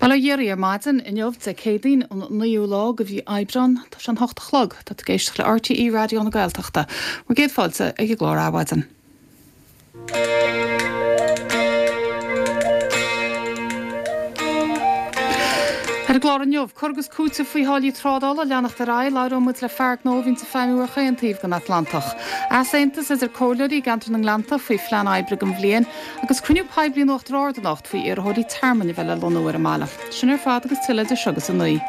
Bail ó Dhia oraibh ar maidin inniu, Dé Céadaoin, an 9ú lá de mhí Aibreán. Tá sé an hocht a chlog. Tá tú ag éisteacht le RTÉ Raidió na Gaeltachta. Bhur gcéad fáilte ag an gclár Adhmhaidin. Ar an gclár inniu, cur agus cúiteamh faoi tháillí trádála ag leanacht ar aghaidh, labhróidh muid le fear gnó a bhíonns ag feidhmiú ar chaon taobh den Atlantach. Easaontas idir comhairleoirí i gceantar na nGleannta faoi phlean oibre don bhliain, agus cruinniú poiblí in Uachtar Ard anocht faoi iarrthóirí tearmainn a bheith le lonnú ar an mbaile. Sin ar fad agus tuilleadh idir seo agus a 9.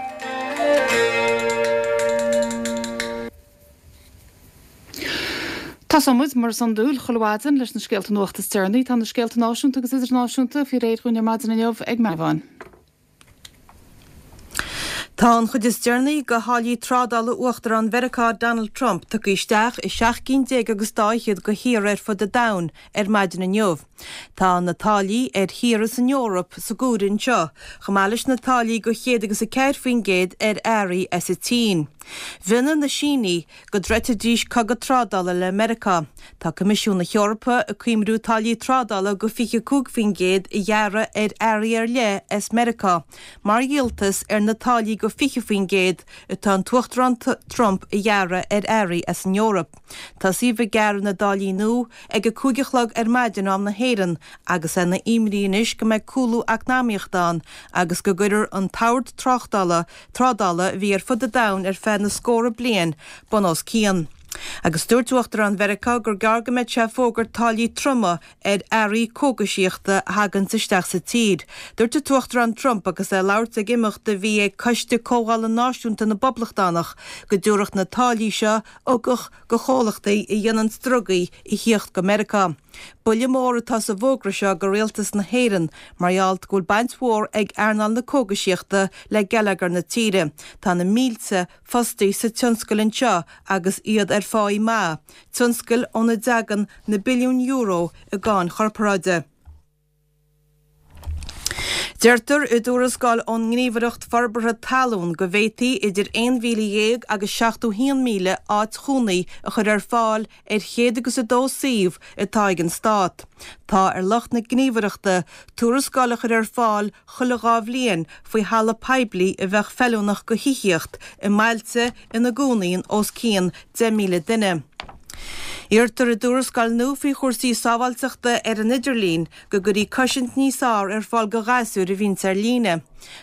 Tosóidh muid, mar is iondúil, chuile mhaidin leis na scéalta nuachta is deireanaí. Tá na scéalta náisiúnta agus idirnáisiúnta faoi réir dhúinn ar maidin inniu ag Mary Vaughan. Tá an chuid is deireanaí de tháillí trádála Uachtarán Mheiriceá Donald Trump tugtha isteach i seacht gcinn déag agus dá fhichead de thíortha ar fud an domhain ar maidin inniu. Tá na táillí ar thíortha san Eoraip sa gcomhaireamh anseo, chomh maith leis na táillí de 104% ar earraí as an tSín. Mhionnaigh na Sínigh go dtroidfidís cogadh trádála le Meiriceá. Tá Coimisiún na hEorpa ag cuimriú táillí trádála de 25% a ghearradh ar earraí ar leith as Meiriceá mar dhíoltas ar na táillí de 20% atá an tUachtarán Trump a ghearradh ar earraí as an Eoraip. Tosaíodh ag gearradh na dtáillí nua ag a 5 a chlog ar maidin am na hÉireann agus é ina imní anois go mbeidh cúlú eacnamaíochta ann agus go gcuirfear an t-ord tráchtála trádála a bhí ar fud an domhain ar feadh na scórtha bliain bun os cionn. Agus dúirt Uachtarán Mheiriceá gur gearr go mbeidh sé ag fógairt táillí troma ar earraí cógaisíochta a thaganns isteach sa tír. Dúirt an tUachtarán Trump agus é ag labhairt ag imeacht a bhí ag Coiste Comhdhála Náisiúnta na bPoblachtánach go dtabharfadh na táillí seo ugach go chomhlachtaí a dhéananns drugaí a thíocht go Meiriceá. Buille mór atá sa bhfógra seo go rialtas na hÉireann mar gheall go bhfuil baint mhór ag earnáil na cógaisíochta le geilleagar na tíre. Tá na mílte fostaí sa tionscal anseo agus iad ar pháí maith, tionscal óna dtagann na billiúin euro i gcáin chorparáide. Deirtear i dtuarascáil ón nGníomhaireacht Forbartha Talún go bhféadfaí idir 11,000 agus 71,000 áit chónaí a chur ar fáil ar chéad agus a dó suíomh atá ag an Stát. Tá ar lucht na gníomhaireachta tuarascáil a chur ar fáil chuile dhá bhliain faoi thalamh poiblí a bheadh feiliúnach go thithíocht i mbailte ina gcónaíonn os cionn 10,000 duine. Iarrtar i dtuarascáil nua faoi chúrsaí sábháilteachta ar an idirlíon go gcuirfí cosaint níos fearr ar fáil go ghasúir a bhíonns ar líne.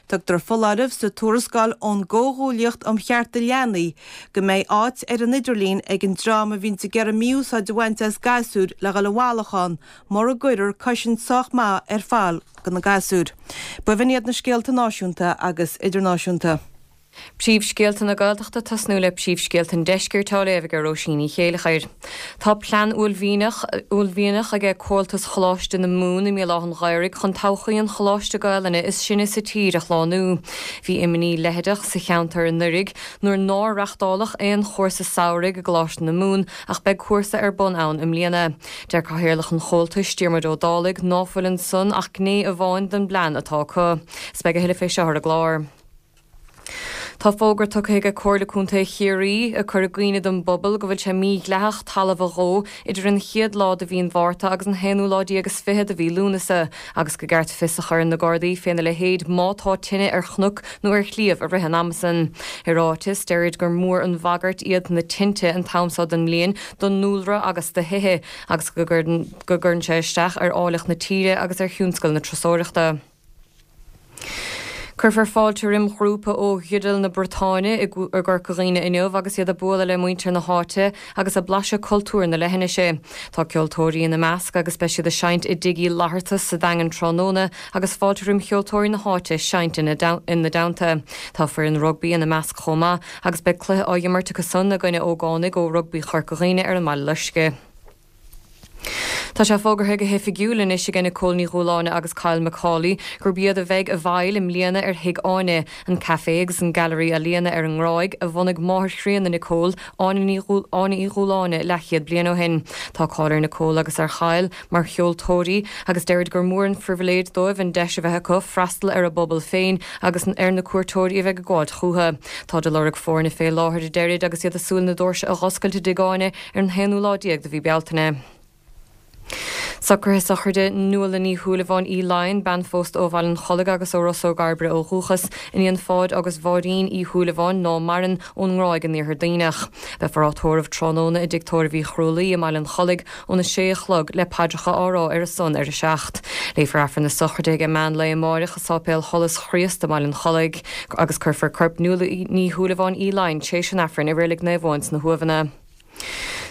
Tugtar foláireamh sa tuarascáil ón gComhghuaillíocht um Chearta Leanaí go mbeidh áit ar an idirlíon ag an dream a bhíonns ag iarraidh mí-úsáid a bhaint as gasúir le dhul i bhfalach ann mura gcuirfear cosaint sách maith ar fáil go na gasúir. B'in iad na scéalta náisiúnta agus idirnáisiúnta. Príomhscéalta na Gaeltachta Tosnú le príomhscéalta an Deiscirt á léamh ag Róisín Ní Chéileachair. Tá plean uaillmhianach uaillmhianach aige Comhaltas Choláiste na Mumhan i mBéal Átha an Ghaorthaidh chun todhchaí an choláiste Gaelainne is sine sa tír a shlánú. Bhí imní leitheadach sa cheantar anuraidh nuair nár reachtáladh aon chúrsa samhraidh i gColáiste na Mumhan ach beidh cúrsa ar bun ann i mbliana. Deir Cathaoirleach an Chomhaltais, Diarmuid Ó Dálaigh, ná fuil ansan ach gné amháin den bplean atá acu. 'S beidh a thuilleadh fé seo ar an gclár. Tá fógra tugtha aige Comhairle Contae Chiarraí ag cur i gcuimhne don bpobal go bhfuil sé mídhleathach talamh a dhó idir an chéad lá de mhí an Mhárta agus an haonú lá déag is fiche de mhí Lúnasa agus go gceart fios a chur ar na Gardaí féna leithéid má tá tine ar chnoc nó ar shliabh i rith an ama san. I ráiteas, deirid gur mór an bhagairt iad na tinte an t-am so den mbliain don ndúlra agus do thithe agus go gcuireann sé isteach ar áilleacht na tíre agus ar thionscal na turasóireachta. Cuirfear fáilte roim ghrúpa ó Ghiodal na Briotáine i gCorca Dhuibhne inniu agus iad ag bualadh le muintir na háite agus ag blaiseadh cultúr na leithinise. Tá ceoltóirí ina measc agus beidh siad ag seinnt i dTigh Uí Fhlatharta sa Daingean tráthnóna agus fáilte roim cheoltóirí na háite seinnt ina dteannta. Tá foireann rugbaí ina measc chomh maith agus beidh cluiche á imirt acu san i gcoinne ógánaigh ó Rugbaí Chorca Dhuibhne ar an mBaile Loiscthe. Tá sé fógartha go hoifigiúil anois aige Nicole Ní Dhúláine agus Kyle McCauley gurb iad a bheidh i bhfeighil i mbliana ar Thigh Áine, an caifé agus an gailearaí ealaíona ar an nGráig a bhunaigh máthair chríonna Nicole, Áine Ní Áine Uí Dhúláine, leathchéad bliain ó shin. Tá cáil ar Nicole agus ar Kyle mar cheoltóirí agus deirid gur mór an phribhléid dóibh an deis a bheith acu freastal ar a bpobal féin agus ar na cuairteoirí a bheidh ag gabháilt chúthu. Táid ag lorg foirne fé láthair a deirid agus iad ag súil na doirse a dh'oscailt i dTigh Áine ar an haonú lá déag de mhí Bealtaine. Socruithe sochraide Nuala Ní Shúilleabháin Uí Laighin, bean phósta ó Bhaile an Chollaigh agus ó Ros Ó gCairbre ó dhúchas, iníon Pháid agus Mháirín Uí Shúilleabháin, ná maireann, ón nGráig in Iarthar Duibhneach. Beifear á tórramh tráthnóna i dTigh Tórraimh Uí Chrualaoi i mBaile an Chollaigh óna sé a chlog le paidreacha á rá ar a son ar a 7. Léifear Aifreann na sochraide ag meán lae amáireach i Sáipéal Sholas Chríost i mBaile an Chollaigh agus cuirfear corp Nuala Ní Shúilleabháin Uí Laighin tréis an Aifrinn i Reilig Naomh Eoin sna hUaimheanna.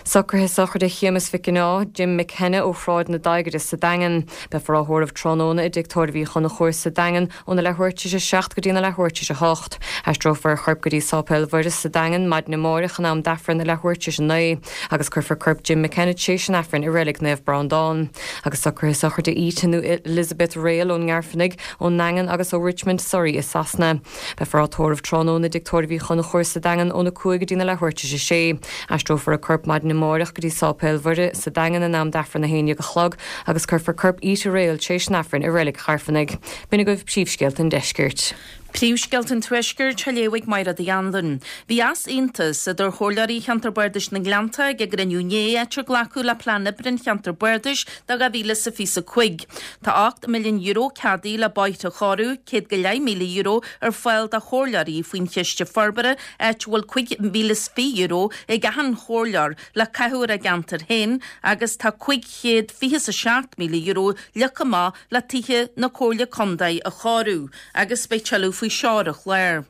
Socruithe sochraide Shéamus Mhic an Ádha, Jim McKenna ó Shráid na Daighire sa Daingean. Beifear á thórramh tráthnóna i dTigh Tórraimh Uí Chonchúir sa Daingean óna leathuair tar éis a 7 go dtína leathuair tar éis a 8. Aistreofar a chorp go dtí Sáipéal Mhuire sa Daingean maidin amáireach in am d'Aifreann a leathuair tar éis a 9 agus cuirfear corp Jim McKenna tréis an Aifrinn i Reilig Naomh Breandán. Agus socruithe sochraide Ita nó Elizabeth Rayl ón nGairfeanaigh, ón nDaingean agus ó Richmond, Surrey i Sasana. Beifear á tórramh tráthnóna i dTigh Tórraimh Uí Chonchúir sa Daingean óna 5 go dtína leathuair tar éis a 6. Aistreofar a corp maidin amáireach go dtí Sáipéal Mhuire sa Daingean in am d'Aifreann 11 a chlog agus cuirfear corp Ita Rayl tréis an Aifrinn i Reilig Chairfeanaigh. B'in agaibh príomhscéalta an Deiscirt. Príomhscéalta an Tuaiscirt á léamh ag Máire Uí Anluain. Bhí easaontas idir chomhairleoirí Cheantar Bardais na nGleannta ag a gcruinniú inné, áit ar glacadh le Plean Oibre an Cheantair Bardais do 2025. Tá €8 milliún ceadaithe le bóithre a chóiriú, €100,000 ar fáil do chomhairleoirí faoin Chiste Forbartha, áit a bhfuil €25,000 ag achan chomhairleoir le caitheamh ar a gceantar féin agus tá €527,000 leagtha amach le tithe na Comhairle Contae a chóiriú agus beidh tuilleadh faoi seo ar an chlár.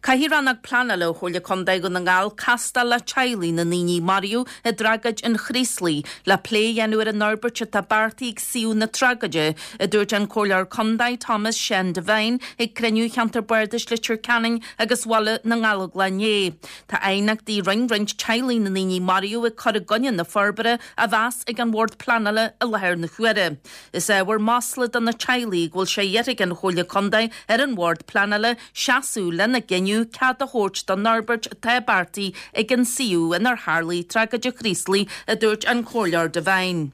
Caithfidh Rannóg Pleanála Chomhairle Contae Dhún na nGall castáil le teaghlaigh na ndaoine a maraíodh i dtragóid an Chraoslaigh le plé a dhéanamh ar an fhorbairt atá beartaithe ag suíomh na tragóide, a dúirt an Comhairleoir Contae Thomas Seán Devine ag cruinniú Cheantar Bardais Leitir Ceanainn agus Bhaile na nGallóglach inné. Tá aighneachtaí a rinne roinnt teaghlaigh na ndaoine a maraíodh ag cur i gcoinne na forbartha á mheas ag an Bhord Pleanála i láthair na huaire. Is ábhar masla do na teaghlaigh go bhfuil sé iarrtha ag an Chomhairle Contae ar an Bhord Pleanála seasamh lena gcinneadh cead a thabhairt don fhorbairt atá beartaithe ag an suíomh inar tharlaigh tragóid an Chraoslaigh, a dúirt an Comhairleoir Devine.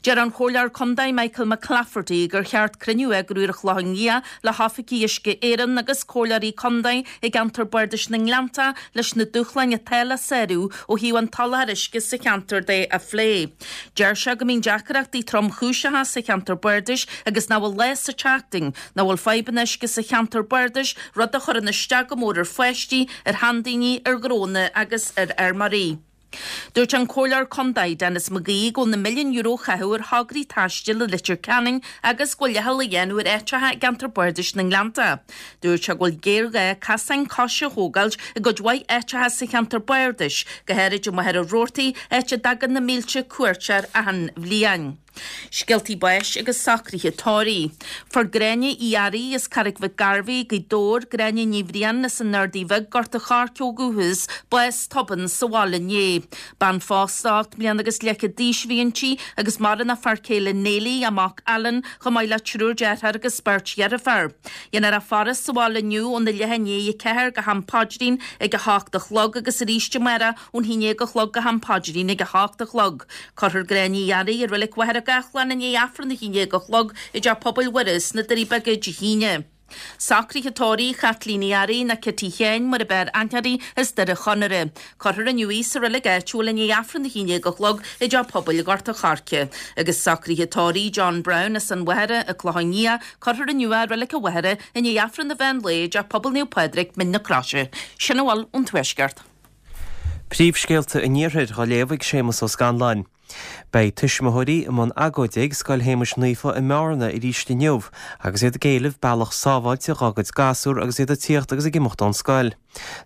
Deir an Comhairleoir Contae Michael McClafferty gur cheart cruinniú a eagrú ar an Chlochán Liath le hoifigigh Uisce Éireann agus Comhairleoirí Contae i gceantar Bardais na nGleannta leis na dúshláin atá le sárú ó thaobh an tsoláthair uisce sa cheantar de a phlé. Deir sé go mbíonn deacrachtaí tromchúiseacha sa cheantar bardais agus nach bhfuil lá sa tseachtain nach bhfuil fadhbanna uisce sa cheantar bardais, rud a chuireann isteach go mór ar pháistí, ar sheandaoine, ar ghnónna agus ar fheirmeoirí. Dúirt an Comhairleoir Contae Denis McGee go bhfuil na milliúin euro a chaitheamh ar thograí taistil i Leitir Ceanainn agus go bhfuil leithcheal á dhéanamh ar áiteacha i gceantar bardais na nGleannta. Dúirt sé go bhfuil géarghá casáin coise a thógáilt i gcuid mhaith áiteacha sa cheantar bardais, go háirid i Machaire Rabhartaigh, áit a dtagann na mílte cuairteoir achan bhliain. Scéaltaí báis agus socruithe tórraimh. Fuair Gráinne Uí Fhearraigh as Carraig Mhic Gairbhí, Gaoth Dobhair, Gráinne Ní Bhriain as an Ardaidh Bhig, Gort a' Choirce ó dhúchas, bás tobann sa bhaile inné. Bean phósta 8 mbliana agus leathchéad d'aois a bhí inti agus maireann a fear céile Neilí, a mac Alan, chomh maith le triúr deartháir agus beirt dheirféar. Dhéanfar a faire sa bhaile inniu óna leath i ndiaidh a 4 go ham paidrín ag a hocht a chlog agus arís amárach ón haon déag a chlog go ham paidrín ag a hocht a chlog. Cuirfear Gráinne Uí Fhearraigh i Reilig Mhachaire Gathlán i ndiaidh Aifreann a haon déag a chlog i dTeach Pobail Mhuire sna Doirí Beaga Dé hAoine. Socruithe tórraimh Chaitlín Uí Fhearraigh nó Cití Sheáin mar ab fhearr aithne uirthi as Doire Chonaire. Cuirfear inniu í sa reilig áitiúil i ndiaidh Aifreann a haon déag a chlog i dTeach Pobail Ghort a' Choirce. Agus socruithe tórraimh John Brown as an Mhachaire, an Clochán Liath, cuirfear inniu é i Reilig a' Mhachaire i ndiaidh Aifreann an mheán lae i dTeach Pobail Naomh Pádraig, Mín na Croise. Sin a bhfuil ón Tuaisceart. Príomhscéalta an Iarthair á léamh ag Séamus Ó Scanláin. Beidh tuismitheoirí i mbun agóide ag Scoil Shéamuis Naofa i mBearna arís inniu agus iad ag éileamh bealach sábháilte dhá gcuid gasúr agus iad ag tíocht agus ag imeacht ón scoil.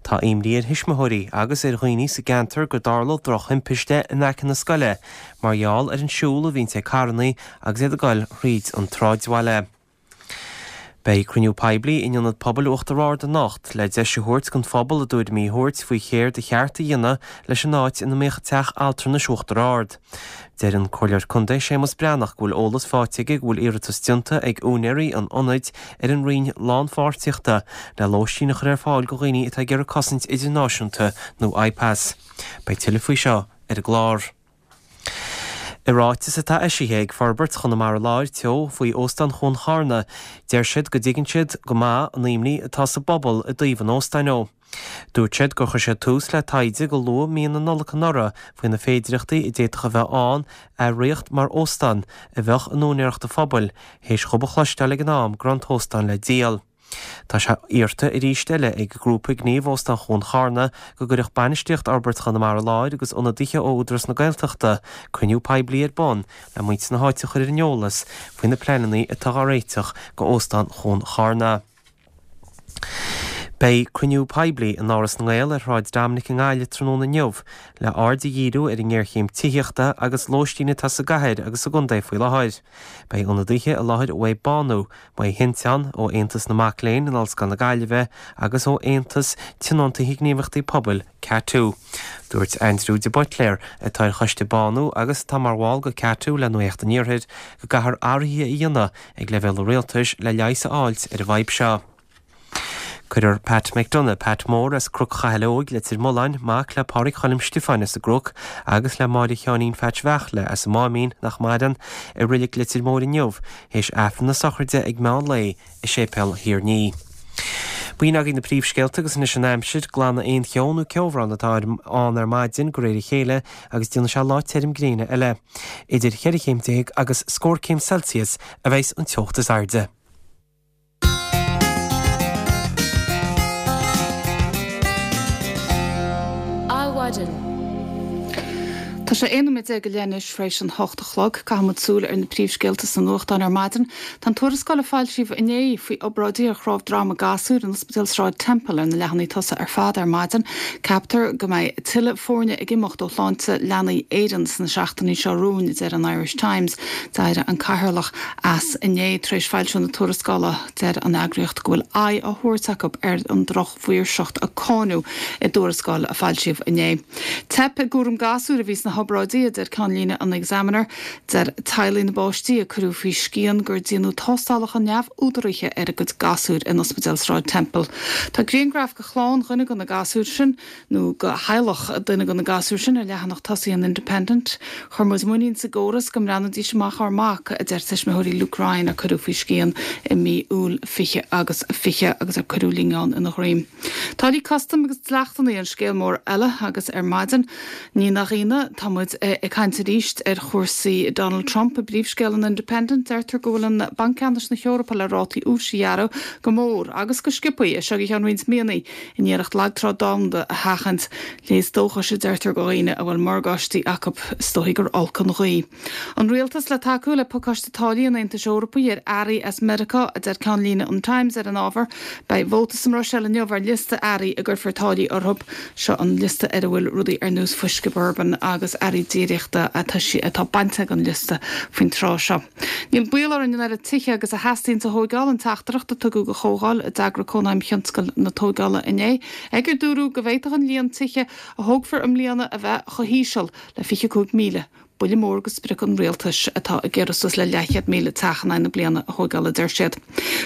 Tá imní ar thuismitheoirí agus ar dhaoine sa gceantar gur dtarla drochthimpiste in aice na scoile mar gheall ar an siúl a bhíonns ag carrannaí agus iad ag goil thríd an tsráidbhaile. Beidh cruinniú poiblí in Ionad Pobail Uachtar Ard anocht le deis a thabhairt don phobal a dtuairimí a thabhairt faoi chéard a cheart a dhéanamh leis an áit ina mbíodh Teach Altranais Uachtar Ard. Deir an Comhairleoir Contae Séamus Breathnach go bhfuil eolas faighte aige go bhfuil iarratas déanta ag úinéirí an ionaid ar an Roinn Lánpháirtíochta le lóistín a chur ar fáil do dhaoine atá ag iarraidh cosaint idirnáisiúnta nó IPAS. Beidh tuilleadh faoi seo ar an gclár. I ráiteas atá eisithe ag Forbairt Chonamara Láir Teo faoi Óstán Chuan Charna, deir siad go dtuigeann siad go maith an imní atá sa bpobal i dtaobh an óstáin ó. Dúirt siad gur chuir siad tús le taighde go luath mí na Nollag anuraidh faoi na féidireachtaí a d'fhéadfadh a bheith ann a riocht mar óstán a bheadh in úinéireacht an phobail, théis dhóibh a chloisteáil ag an am go raibh an t-óstán le díol. Tá sé iarrta arís eile ag Grúpa Gnímh Óstán Chuan Charna go gcuirfeadh bainistíocht Fhorbairt Chonamara Láir agus ionadaithe ó Údarás na Gaeltachta cruinniú poiblí ar bun le muintir na háite a chur ar an eolas faoi na pleananna atá á réiteach go Óstán Chuan Charna. Beidh cruinniú poiblí in Áras na nGael ar Shráid Dominic i nGaillimh tráthnóna inniu le aird a dhíriú ar an ngéarchéim tithíochta agus lóistín atá sa gcathair agus sa gcontae faoi láthair. Beidh ionadaithe i láthair uaidh Bánú, Maigh Thinteán, ó Aontas na Mac Léinn in Ollscoil na Gaillimhe agus ó Aontas Tionóntaithe Gníomhaireachtaí Pobail, CATU. Dúirt Aindriú de Buitléar, atá ar choiste Bánú agus atá mar bhall de CATU le Nuacht an Iarthair, go gcaithfear athruithe a dhéanamh ag leibhéal an rialtais le leigheas a fháilt ar an bhfadhb seo. Cuirfear Pat McDonagh, Pat Mór, as Cnoc Chathail Óig, Leitir Mealláin, mac le Pádraig Choilm Stiofáin as an gCnoc agus le Máire Sheáinín Pheaits Bheartla as an Máimín, nach maireann, i Reilig Leitir Móir inniu, théis Aifreann na sochraide ag meán lae i Séipéal Thír Ní. B'in agaibh na príomhscéalta agus anois an aimsir, glanadh aon cheo nó ceobhrán atá ann ar maidin de réir a chéile agus déanfaidh sé lá tirim gréine eile. Idir cheithre chéim déag agus scór céim Celsius a bheas an teocht is airde. Adhmhaidin. Tá sé 11 nóiméad go leith anois tar éis an hocht a chlog. Caithfidh muid súil ar na príomhscéalta sna nuachtáin ar maidin. Tá an tuarascáil a foilsíodh inné faoi obráidí ar chnámh droma gasúir in Ospidéal Sráid Temple ar na leathanaigh tosaigh ar fad ar maidin. Ceaptar go mbeidh tuilleadh foirne ag imeacht ó Shláinte Leanaí Éireann sna seachtainí seo romhainn, a deir an Irish Times. D'éirigh an cathaoirleach as inné tar éis foilsiú na tuarascála. Deir an eagraíocht go bhfuil aghaidh á thabhairt acu ar an drochmhaoirseacht a cáineadh i dtuarascáil a foilsíodh inné. Teip i gcúram gasúir a bhí sna hobráidí, a deir ceannlíne an Examiner. Deir teaghlaigh na bpáistí a cuireadh faoi scian gur déanadh tástálacha neamhúdaraithe ar a gcuid gasúir in Ospidéal Sráid Temple. Tá grianghraf de chlann dhuine de na gasúir sin nó de theaghlach duine de na gasúir sin ar leathanach tosaigh an Independent. Chuir muid muinín sa gcóras go mbreathnóidís amach ár mac, a deir tuismitheoirí Luke Ryan a cuireadh faoi scian i mí Iúil 20 agus 20 agus ar cuireadh líonán ina dhroim. Táillí custaim agus dleachtanna an scéal mór eile agus ar maidin, ní nach ionadh, tá muid ag caint arís ar chúrsaí Donald Trump. I bpríomhscéal an Independent, deirtear go bhfuil an Banc Ceannais na hEorpa le rátaí úis a ghearradh go mór agus go sciobthaí as seo go ceann roinnt míonna. In iarracht lagtrá domhanda a sheachaint, léas dóchais a deirtear do dhaoine a bhfuil morgáistí acu, is dóichí gur olc an ghaoth. An rialtas le tacú le pacáiste táillí an Aontais Eorpaigh ar earraí as Meiriceá, a deir ceannlíne an Times ar an ábhar. Beidh vóta sa mBruiséil inniu ar liosta earraí a gcuirfear táillí orthu. Seo an liosta ar a bhfuil rudaí ar nós fuisce bourbon agus earraí déiríochta atá bainte den liosta faoin tráth seo. Níl baol orainn an oiread tithe agus a theastaíonns a thóigeáil, an teachtaireacht a tugadh do chomhdháil a d'eagraigh Cónaidhm Thionscal na Tóigeála inné, ag ar dúradh go bhféadfadh an líon tithe a thógfar i mbliana a bheith chomh híseal le 25,000. Buille mór do sprioc an rialtais, atá ag iarraidh suas le leathchéad 1,000 teach in aghaidh na bliana a thóigeáil, a deir siad.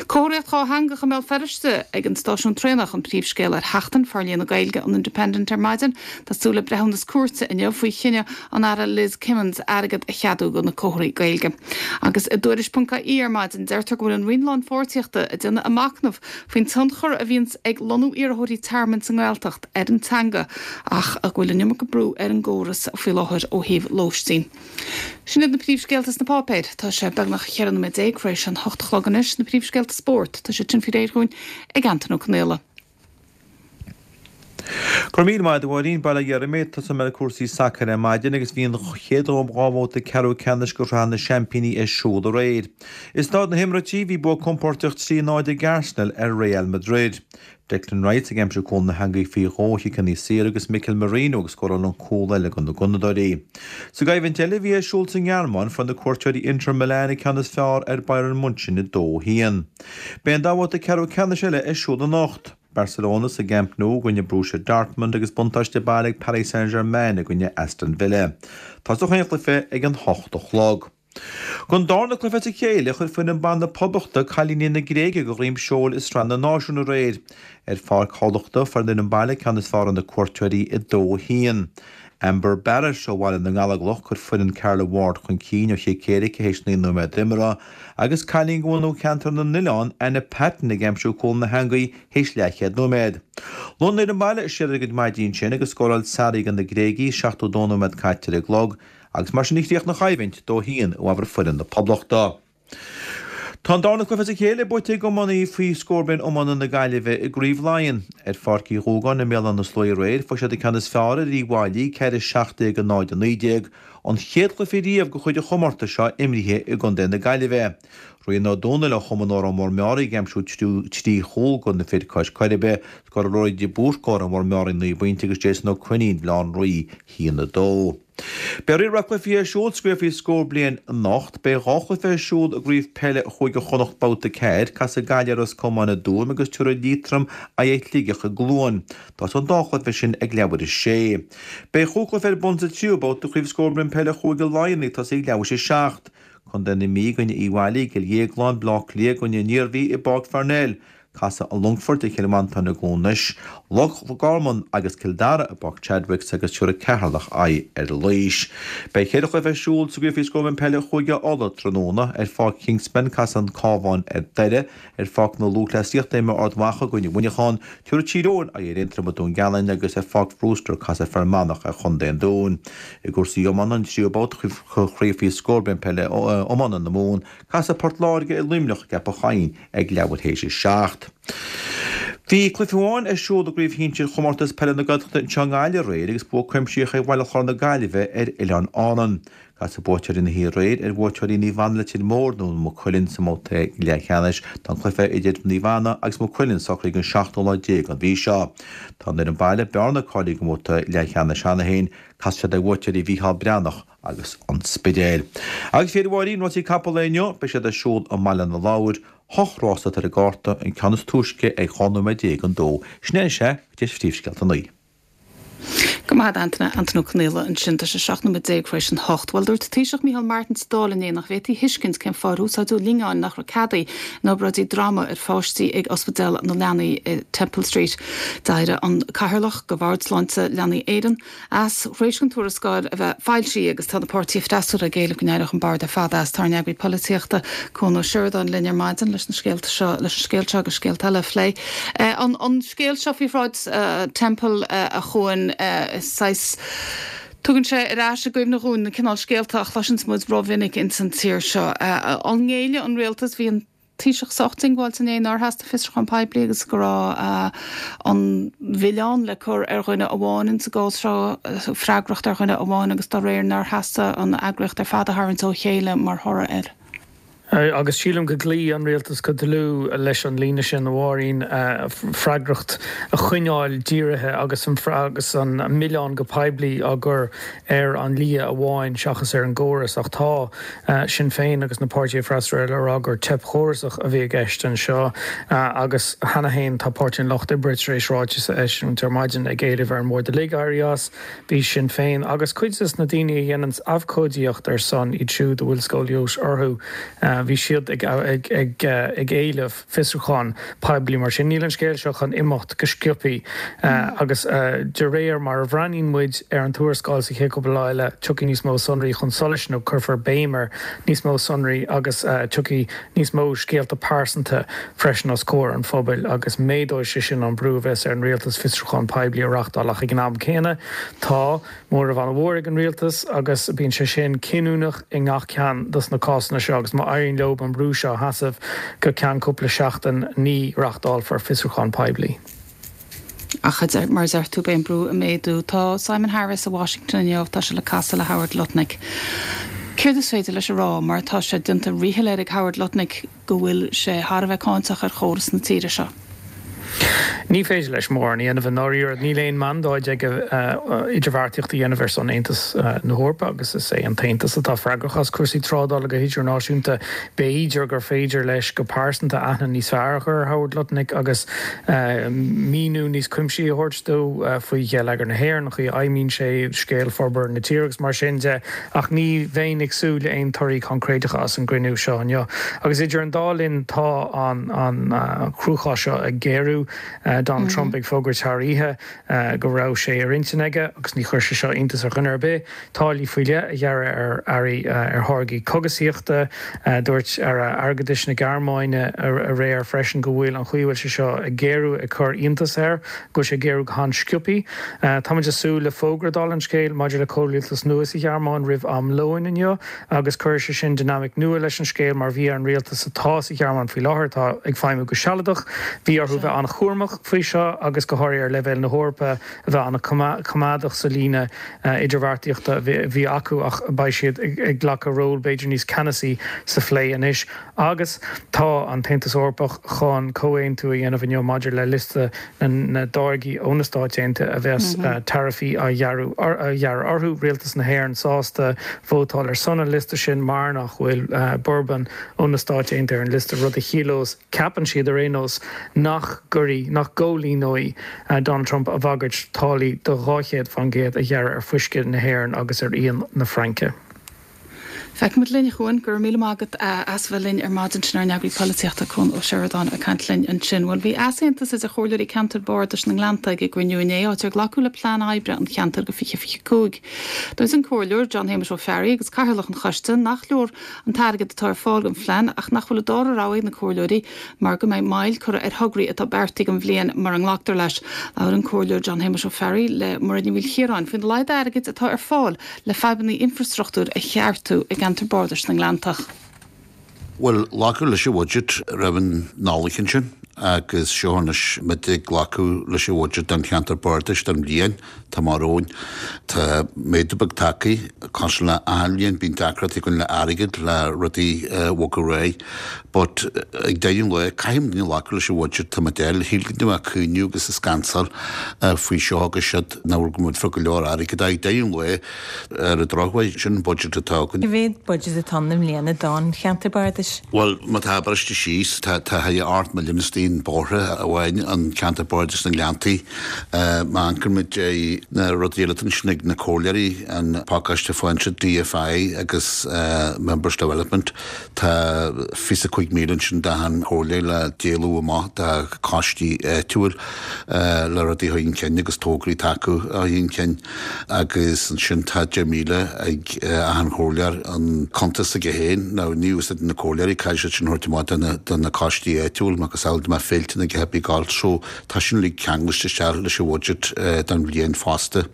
Comharthaíocht dhátheangach i mBéal Feirste ag an stáisiún traenach an príomhscéal ar Sheachtain Forlíonadh na Gaeilge an Independent ar maidin. Tá súil le breithiúnas cúirte inniu faoi chinneadh an Aire Liz Kimmins airgead a cheadú do na comharthaí Gaeilge. Agus i dTuairisc.ie ar maidin, deirtear go bhfuil an Roinn Lánpháirtíochta ag déanamh a machnamh faoin tionchar a bhíonns ag lonnú iarrthóirí tearmainn sa nGaeltacht ar an teanga ach go bhfuil an iomarca brú ar an gcóras faoi láthair ó thaobh lóistín. Sin iad na príomhscéalta sna páipéir. Tá sé beagnach 14 nóiméad tar éis an hocht a chlog anois. Na príomhscéalta spóirt. Tá siad sin faoi réir dhúinn ag Antain Ó Conaola. Go raibh míle maith agat a Mháirín, Bail ó Dhia oraibh mé. Tosóidh mé le cúrsaí sacair ar maidin agus bhí an chéad dhá bhabhta ceathrú ceannais de Shraith na Seaimpíní ar siúl aréir. I Staid na hEimiréití bhí bua compóirteach 3-0 ag Arsenal ar Real Madrid. Declan Rice ag aimsiú cúl na heangaí faoi dhó ó chiceanna saora agus Mikel Merino ag scóráil an cúl eile do na Gunnadóirí. Sa gcoimhlint eile a bhí ar siúl sa nGearmáin fuair na cuairteoirí Inter Milan an ceann is fearr ar Bayern Munchen 2-1. Beidh an dá bhabhta ceathrú ceannais eile ar siúl anocht. Barcelona sa gCamp Nou i gcoinne Borussia Dortmund agus buntáiste baile ag Paris Saint-Germain i gcoinne Aston Villa. Tosóidh chaon chluiche ag an hocht a chlog. Don darna cluiche as a chéile, chuir foireann ban na Poblachta cailíní na Gréige de dhroim seoil i Sraith na Náisiún aréir. Ar Pháirc Thamhlachta, fuair an fhoireann baile ceann is fearr ar na cuairteoirí 2-1. Amber Barrett ó Bhaile na nGallóglach chuir foireann Carla Ward chun cinn ó chic éirice théis 9 nóiméad imeartha agus cailín de bhunadh Cheantar na nOileán, Anna Patton ag aimsiú cúl na heangaí théis leathchéad nóiméad. Luigh an fhoireann baile siar ar a gcuid maidí ansin agus scóráil Sarri do na Gréagaigh, 72 nóiméad caite ar an gclog, agus mar sin a chríochnaigh an choimhlint, 2-1 i bhfabhar foireann na Poblachta. Tá an darna cluiche as a chéile buaite ag iománaí faoi scór bliain iomána na Gaillimhe i gCraobh Laighean. Ar Pháirc Uí Dhúgáin i mBéal Átha na Sluaighe aréir, fuair siad an ceann is fearr ar Uíbh Fhailí, 4, 17, 0, 19, an chéad chluiche riamh de chuid an chomórtais seo imrithe i gcontae na Gaillimhe. Rian Ó Dónaill ó Chumann Órán Mór Meáraí ag aimsiú 3 chúl do na fir cois Coiribe. Scóráil Ruairí de Búrca Órán Mór Meáraí 9 bpointe agus Jason Ó Coinín, Bhaile Átha an Rí, 1, 2. Beidh roinnt mhaith cluichí ar siúl sa gCraobh faoi scór bliain anocht. Beidh 2 chluiche ar siúl i gCraobh Peile Chúige Chonnacht Babhta 4. Casfaidh Gaillimh ar Ros Comáin i dTuaim agus tabharfaidh Liatroim aghaidh ar Shligeach i gCluain. Tosóidh an dá chluiche sin ag leathuair théis 6. Beidh chúig chluiche ar bun sa tríú babhta de Chraobh Scór Bliain Peile Chúige Laighean ag tosaí ag leathuair théis 7. Contae na Mí i gcoinne Uíbh Fhailí i gCill Dhéagláin, Bleá Cliath i gcoinne an Iarmhí i bPáirc Pharnell. Casfaidh an Longfort ar Chill Mhantáin i gCluain Eois, Loch Garman agus Cill Dara i bPáirc Chadwicks agus tabharfaidh Ceatharlach aghaidh ar Laois. Beidh cheithre chluiche ar siúl sa gCraobh faoi Scór Bliain Peile Chúige Uladh tráthnóna. Ar Pháirc Kingspan casfaidh an Cabhán ar Doire, ar Pháirc na Lúthchleasaíochta imreoidh Ard Mhacha i gcoinne Mhuineacháin, tabharfaidh Tír Eoghain aghaidh ar Aontroim i Dún Geanainn agus ar Pháirc Brewster casfaidh Fear Manach ar Chontae an Dúin. I gcúrsaí iomána, an tríú babhta de Chraobh faoi Scór Bliain Peile Iomána na Mumhan, casfaidh Port Láirge ar Luimneach i gCeapach Choinn. ag leathuair théis a 7. Bhí cluiche amháin ar siúl i gCraobh Shinsir Chomórtas Peile na Gaeltachta anseo i nGaillimh aréir agus bua cuimsitheach ag Baile Chláir na Gaillimhe ar Oileáin Árann. Casfaidh buaiteoirí na hoíche aréir ar bhuaiteoirí Naomh Anna Leitir Móir nó Maigh Cuilinn sa mbabhta leathcheannais. Tá an cluiche idir Naomh Anna agus Maigh Cuilinn socraithe don seachtú lá déag den mhí seo. Tá an fhoireann baile, Bearna, cáilithe don mbabhta leathcheannais cheana féin. Casfaidh siad ar bhuaiteoirí Mhícheál Breathnach agus an Spidéal. Agus a Mháirín, rásaí capall lae inniu, beidh siad ar siúl i mBaile na Lobhar. Hocht rás atá ar an gcárta, an ceann is túisce ag 12 nóiméad don dó. Sin é is ea, go dtí phríomhscéalta an lae. Go maith agat Antaine, Antaine Ó Conaola ansin. Tá sé 17 nóiméad tar éis an hocht. Bhuel, dúirt an Taoiseach Micheál Martin sa Dáil inné nach bhféadfaí a thuiscint cén fáth ar úsáideadh lingeáin nach raibh ceadaithe in obráidí droma ar pháistí ag Ospidéal na Leanaí i Temple Street. D'éirigh an Cathaoirleach de Bhord Sláinte Leanaí Éireann, as, tar éis don tuarascáil a bheith foilsithe agus tá na páirtithe freasúra ag éileamh go n-éireodh an bord ar fad as. Tá ár n-eagraí polaitíochta, Cuan Ó Seireadáin linn ar maidin leis na scéalta seo, leis an scéal seo agus scéalta eile a phlé. An an scéal seo faoi Shráid Temple, a Chuain, is saghas, tugann sé ar ais i gcuimhne dhúinn na cineál scéalta a chloiseanns muid rómhinic ins an tír seo. An ngéillfidh an rialtas, bhí an. Taoiseach sách diongbháilte inné nár theastaigh fiosrúchán poiblí agus go raibh an milleán le cur ar dhuine amháin ins an gcás seo, freagracht ar dhuine amháin agus dá réir nár theastaigh an eagraíocht ar fad a tharraingt ó chéile mar thoradh air. Agus sílim go gcloígh an rialtas go dlúth leis an líne sin, a Mháirín, freagracht a choinneáil dírithe agus an milleán go poiblí á gcur ar an lia amháin seachas ar an gcóras. Ach tá. Sinn Féin agus na páirtithe freasúra eile ag rá gur teip chórasach a bhí i gceist anseo agus cheana féin tá Páirtí an Lucht Oibre tar éis ráiteas a eisiúint ar maidin ag éileamh ar an mBord uilig éirí as. Bhí Sinn Féin agus cuid des na daoine a dhéananns abhcóidíocht ar son iad siúd a bhfuil scóilióis orthu, bhí siad ag ag éileamh. fiosrúchán poiblí. Mar sin, níl an scéal seo chun imeacht go sciobthaí agus de réir mar a bhreathnaíonn muid ar an tuarascáil sa chéad chúpla lá eile, tiocfaidh níos mó sonraí chun solais nó cuirfear béim ar níos mó sonraí agus tiocfaidh níos mó scéalta pearsanta freisin os comhair an phobail agus méadóidh sé sin an brú a bheas ar an rialtas fiosrúchán poiblí a reachtáil. Ach ag an am céanna, tá. Móramh an-mhór ag an rialtas agus bíonn sé sin cinniúnach i ngach ceann dos na cásanna seo agus má éiríonn leo an brú seo a sheasamh go ceann cúpla seachtain ní reachtálfar fiosrúchán poiblí. Ach, mar a deir tú, beidh an brú ag méadú. Tá Simon Harris i Washington inniu, tá sé le casadh le Howard Lutnick. Céard is féidir leis a rá mar tá sé déanta ríshoiléir ag Howard Lutnick go bhfuil sé thar a bheith cáinteach ar chóras na tíre seo. Ní féidir leis mórán a dhéanamh i ndáiríre. Níl aon mandáid aige idirbheartaíocht a dhéanamh ar son Aontas na hEorpa agus is é an tAontas atá freagrach as cúrsaí trádála go hidirnáisiúnta. B'fhéidir gur féidir leis go pearsanta aithne níos fearr a chur ar Howard Lutnick agus míniú níos cuimsithí a thabhairt dó faoi gheilleagar na hÉireann, an chaoi a fheidhmíonn sé, scéal forbartha na tíre agus mar sin de. Ach ní bheinn ag súil le aon torthaí coincréideacha as an gcruinniú seo inniu. Agus idir an dá linn tá an cruachás seo ag géarú. inniu, Donald Trump ag fógairt thar oíche go raibh sé ar intinn aige, agus ní chuir sé seo iontas ar dhuine ar bith, táillí faoi leith a ghearradh ar earraí, ar tháirgí cogasaíochta. Dúirt Aire Airgeadais na Gearmáine aréir freisin go bhfuil an chaoi a bhfuil sé seo ag géarú ag cur iontas air, go bhfuil sé ag géarú go han-sciobthaí. Táimid ag súil le fógra, dála an scéil, maidir le comhrialtas nua sa Ghearmáin roimh am lóin inniu agus cuirfidh sé sin dinimic nua leis an scéal mar bhí ar an rialtas atá sa Ghearmáin faoi láthair, atá ag feidhmiú go sealadach, bhí orthu bheith an-chúramach faoi seo agus go háirithe ar leibhéal na hEorpa a bheith an-choimeádach sa líne idirbheartaíochta a bhí acu ach beidh siad ag glacadh ról b'fhéidir níos ceannasaí sa phlé anois. Agus tá an tAontas Eorpach chun comhaontú a dhéanamh inniu maidir le liosta na dtáirgí ó na Stáit Aontaithe a bheas taraifí á ghearradh orthu. Rialtas na hÉireann sásta vótáil ar son an liosta sin mar nach bhfuil bourbon ó na Stáit Aontaithe ar an liosta, rud a chiallós, ceapann siad ar aon nós, nach gcuirfidh, nach gcomhlíonóidh Donald Trump a bhagairt táillí de 200% a ghearradh ar fuisce na hÉireann agus ar fhíon na Fraince. Feicfimid linn, a Chuain. Go raibh míle maith agat as bheith linn ar maidin. Sin ár n-eagraí polaitíochta, Cuan Ó Seireadáin, ag caint linn ansin. Bhuel, bhí easaontas idir chomhairleoirí ceantair bardais na nGleannta ag a gcruinniú inné, áit ar glacadh le plean oibre an cheantair go 2025. Dúirt an Comhairleoir John Shéamuis Ó Fearraigh agus cathaoirleach an choiste nach leor an t-airgead atá ar fáil don phlean ach nach bhfuil an dara rogha ag na comhairleoirí mar go mbeidh moill curtha ar thograí atá beartaithe don bhliain mura nglactar leis. Labhair an Comhairleoir John Shéamuis Ó Fearraigh le Mairéad Ní Mhaoilchiaráin faoina laghad airgid atá ar fáil le fadhbanna infreastruchtúir a cheartú i gceantar bardais na nGleanntach. Bhuel, glacadh leis an bhudget roimh an Nollaig ansin agus seo anois muid ag glacadh leis an bhudget don cheantar bardais don bhliain atá amach romhainn. Tá méadú beag tagtha, cosúil le achan bhliain bíonn deacrachtaí againn le airgead le rudaí a bhogadh ar aghaidh but ag deireadh an lae caithfidh muidne glacadh leis an bhudget atá muid a fháil. Shíl go mbeadh caoineadh agus ag scansáil faoi seo agus siúd nach bhfuil go bhfuil go leor airgid ach ag deireadh an lae ar an drochuair, sin an budget atá againn. Cé mhéad budget atá ann i mbliana don cheantar bardais? Bhuel, má tá briste síos, tá thar 8 milliún istigh in bóithre amháin an ceantar bardais na nGleanntaí. Má amharcann muid ar na rudaí eile atá ansin ag na comhairleoirí, an pacáiste fáinse DFI agus Members Development, Tá 25,000 ansin d'achan chomhairleoir le díoladh amach do choistí áitiúil le rudaí a chur chun cinn agus tograí taca a chur chun cinn agus ansin tá 10,000 ag achan chomhairleoir an cuntas aige féin. Now ní úsáideann na comhairleoirí, caithfidh siad sin a thabhairt amach do na coistí áitiúil macasamhail dá mbeadh féilte nó a dhath ar bith ag gabháil so Tá sin uilig ceangailte isteach leis an bhudget don bhliain fosta.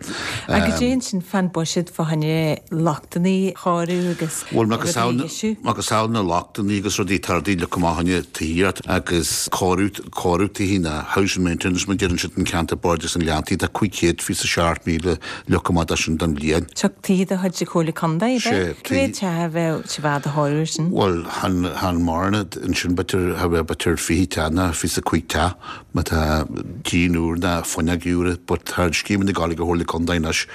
Agus cad é ansin fán buiséad fá choinne lochtanna a chóiriú agus Bhuel, rudaí a dheisiú? Macasamhail na lochtanna agus rudaí tá rudaí le cur amach fá choinne tithíocht agus cóiriú, cóiriú tithí ná housing maintenance mar a deireann siad an ceantar bardais na nGleanntaí tá 527,000 le cur amach dó sin don bhliain. Seo tithe de chuid na Comhairle Contae, ab ea? Sé, Cé mhéad teach a bheadh sa bhfad a chóiriú ar sin? Bhuel, chan, chan mórán ansin, b'fhéidir, cha bheadh b'fhéidir 20 teach ná 25 teach, má tá díon úr ná fuinneog úr, but tá an scéimeanna ag gabháil ag an Chomhairle Contae anois,